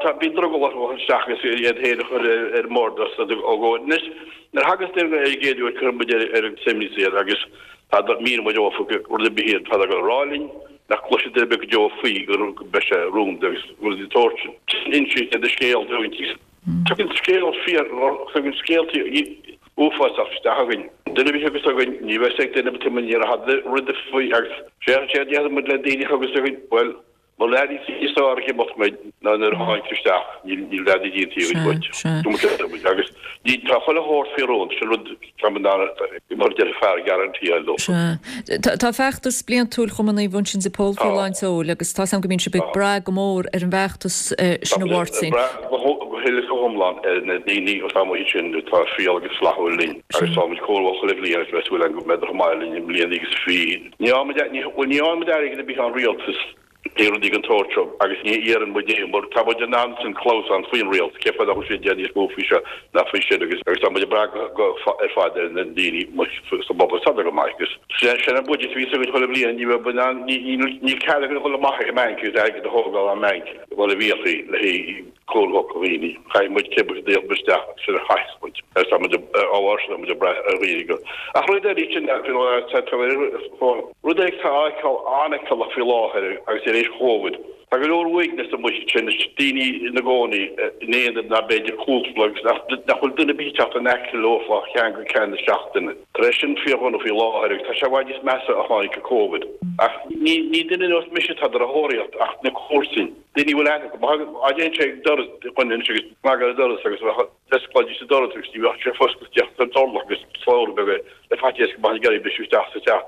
tá, bíonn drogall orthu isteach agus iad féin a chur ar an mbord os a gcomhair. Anois, Nuair a thagas duine ar an gcéad uair cuireann muid ar an suimníos iad agus míníonn muid dófa rud ar bith iad atá ag rá linn nach gcloisfidh duine ar bith go deo faoi go mbeidh sé rúnda agus rudaí den tsórt sin. Insíonn siad a scéal dúinn. Tagann scéal fíor, tagann scéaltaí uafásach isteach againn. Duine ar bith a thiocfas chugainn, ní bheidh ag duine ar bith ní raibh rud faoi agus séard a déarfaidh muid le daoine a thiocfas chugainn, bhuel, Bhuel leanaí níos fearr ag imeacht muid ná nuair a tháinig tú isteach, níl dadaí déanta againn duit. Agus ní, tá chuile shórt faoi rún, sin rud tá muid in ann, mar a deir fear, guarantee a fháil dófa. Sea. Tá feachtas bliantúil Chumann Naomh Uinseann de Pól faoi lán tseoil agus tá's agam go mbíonn sibh ag brath go mór ar an bhfeachtas sin a Mháirtín. Tá muid ag brath go huile is go hiomlán ar na daoine atá amuigh ansin atá fial agus flaithiúil linn agus tá muid comhbhrón chuile bhliain agus beidh súil againn go mbeidh chomh maith linn i mbliana agus bhí Ní fhaigheann muid airgead ar bith ón rialtas le rudaí den tsórt seo agus ní iarrann muid é mar tá muid in ann san clamhsán faoin rialtas, cén fáth nach bhfuil siad ag déanamh níos mó faoi seo ná faoi sin agus agus tá muid ag brath go ar fad ar na daoine sa bpobal tá go maith agus sin an budget a bhíos againn chuile bhliain ní bheidh in ann níl cead againn a dhul amach ag an mbanc agus airgead a thógáil ón mbanc mar a bhíodh le haghaidh cúnamh do dhaoine. Caithfidh muid cibé a d'íoc muid isteach, sin a chaithfeas muid. Agus tá muid á bharr sin, tá muid ag brath ar dhaoine go. Ach rud eile sin, rud eile atá an-fheiceálach faoi láthair agus tar éis Covid, tá go leor uaigneas amuigh ansin, daoine ina gcónaí in aonair ná b'fhéidir cúpla agus nach bhfuil duine ar bith ag teacht in aice leo ó cheann go ceann na seachtaine. Tá sé sin fíordhona faoi láthair agus tá sé i bhfad níos measa ó tháinig Covid. Ach ní duine nós mise atá ar a thóraíocht ach na comharsain. Daoine a bhfuil aithne acu. Má théann sé ag doras dhuine anois agus cnag ar an doras agus d'osclóidís an doras agus ní bheadh sé foscailte ach an t-orlach agus slabhra beag air le faitíos go mbeadh ag iarraidh briseadh isteach sa teach.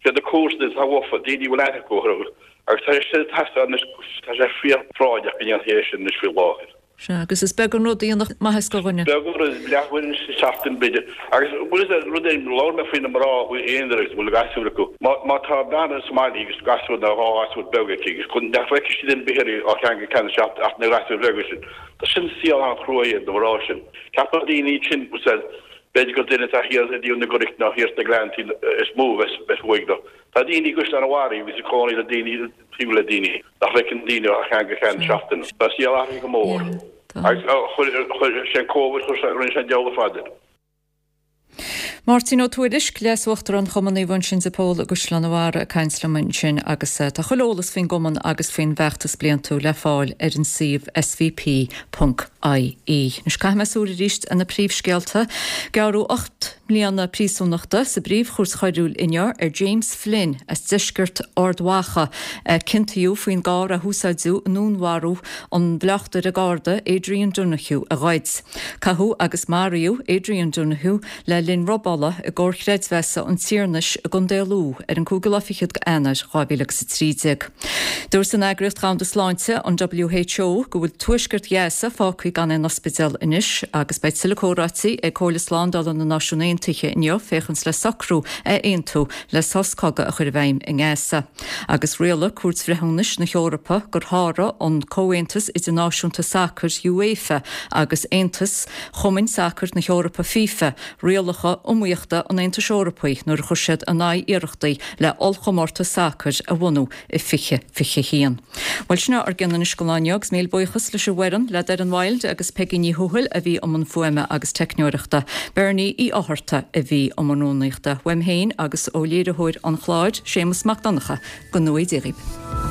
Siad na comharsana atá uafa, daoine a bhfuil aithne acu orthu agus tá sé sin ag teastáil anois, tá sé fíorphráinneach go ndéanfaí é sin anois faoi láthair. Sea, agus is beag an rud a dhéanfadh maitheas do dhuine. Beag an rud, leathuair sa tseachtain b'fhéidir. Agus bhfuil fhios a'd rud éigin, labhair mé faoi na mná aonair agus bhfuil gasúir acu. Má, má tá bean sa mbaile agus gasúr nó dhá ghasúr beag aici agus chun, nach bhfeicfidh sí duine ar bith uirthi ó cheann go ceann na seachtaine ach na gasúir bheaga sin. Tá sin saol an-chruaidh iad na mná sin. Ceapann daoine sin, bhfuil fhios a'd, b'fhéidir gur duine atá thiar i dtaobh na gCnoc nó thiar sna Gleanntaí is mó a bheas, bheas uaigneach. Tá daoine i gCaisleán an Bharraigh agus ag cónaí le daoine, taobh le daoine nach bhfeiceann daoine ó cheann go ceann na seachtaine. Tá an saol athraithe go mór. Agus chuir sé an Covid, chuir sé, rinne sé an diabhal ar fad de. Máirtín Ó Tuairisg, Leas-Uachtarán Chumann Naomh Uinseann de Pól i gCaisleán an Bharraigh ag caint liom ansin agus tá chuile eolas faoin gcumann agus faoin bhfeachtas bliantúil le fáil ar an suíomh svp ponc ie. Anois caithfidh mé súil arís ar na príomhscéalta. Gearradh 8 mbliana príosúnachta sa bPríomh-Chúirt Choiriúil inniu ar James Flynn as deisceart Ard Mhacha a ciontaíodh faoin gcarr a húsáideadh i ndúnmharú an bhleachtaire Garda Adrian Donoghue a ghoid. Caitheadh agus maraíodh Adrian Donoghue le linn robála i gComhar Creidmheasa an Tiarnais i gContae Lú ar an cúigiú lá fichead de Eanáir 2013. Dúirt an Eagraíocht Dhomhanda Sláinte, an WHO, go bhfuil tuaisceart Ghaza fágtha. gan aon ospidéal anois agus beidh tuilleadh comhráití ag Comhairle Slándála na Náisiún Aontaithe inniu féachaint le socrú a aontú le sos cogaidh a chur i bhfeidhm i nGaza. Agus rialaigh Cúirt Bhreithiúnais na hEorpa gur sháraigh an Comhaontas Idirnáisiúnta Sacair, UEFA, agus Aontas Chumainn Sacair na hEorpa, FIFA, rialacha iomaíochta an Aontais Eorpaigh nuair a chuir siad in aghaidh iarrachtaí le ollchomórtas sacair a bhunú i 2021. Bhuel, sin é ár gcion anois don lá inniu agus míle buíochas leis an bhfoireann, le Doireann Wilde agus Peigí Ní Thuathail a bhí i mbun fuaime agus teicneoireachta, Bernie Uí Fhátharta a bhí i mbun rúnaíochta, uaim féin agus ó léiritheoir an chláir, Séamus Mac Donncha, go ngnóthaí Dia dhaoibh.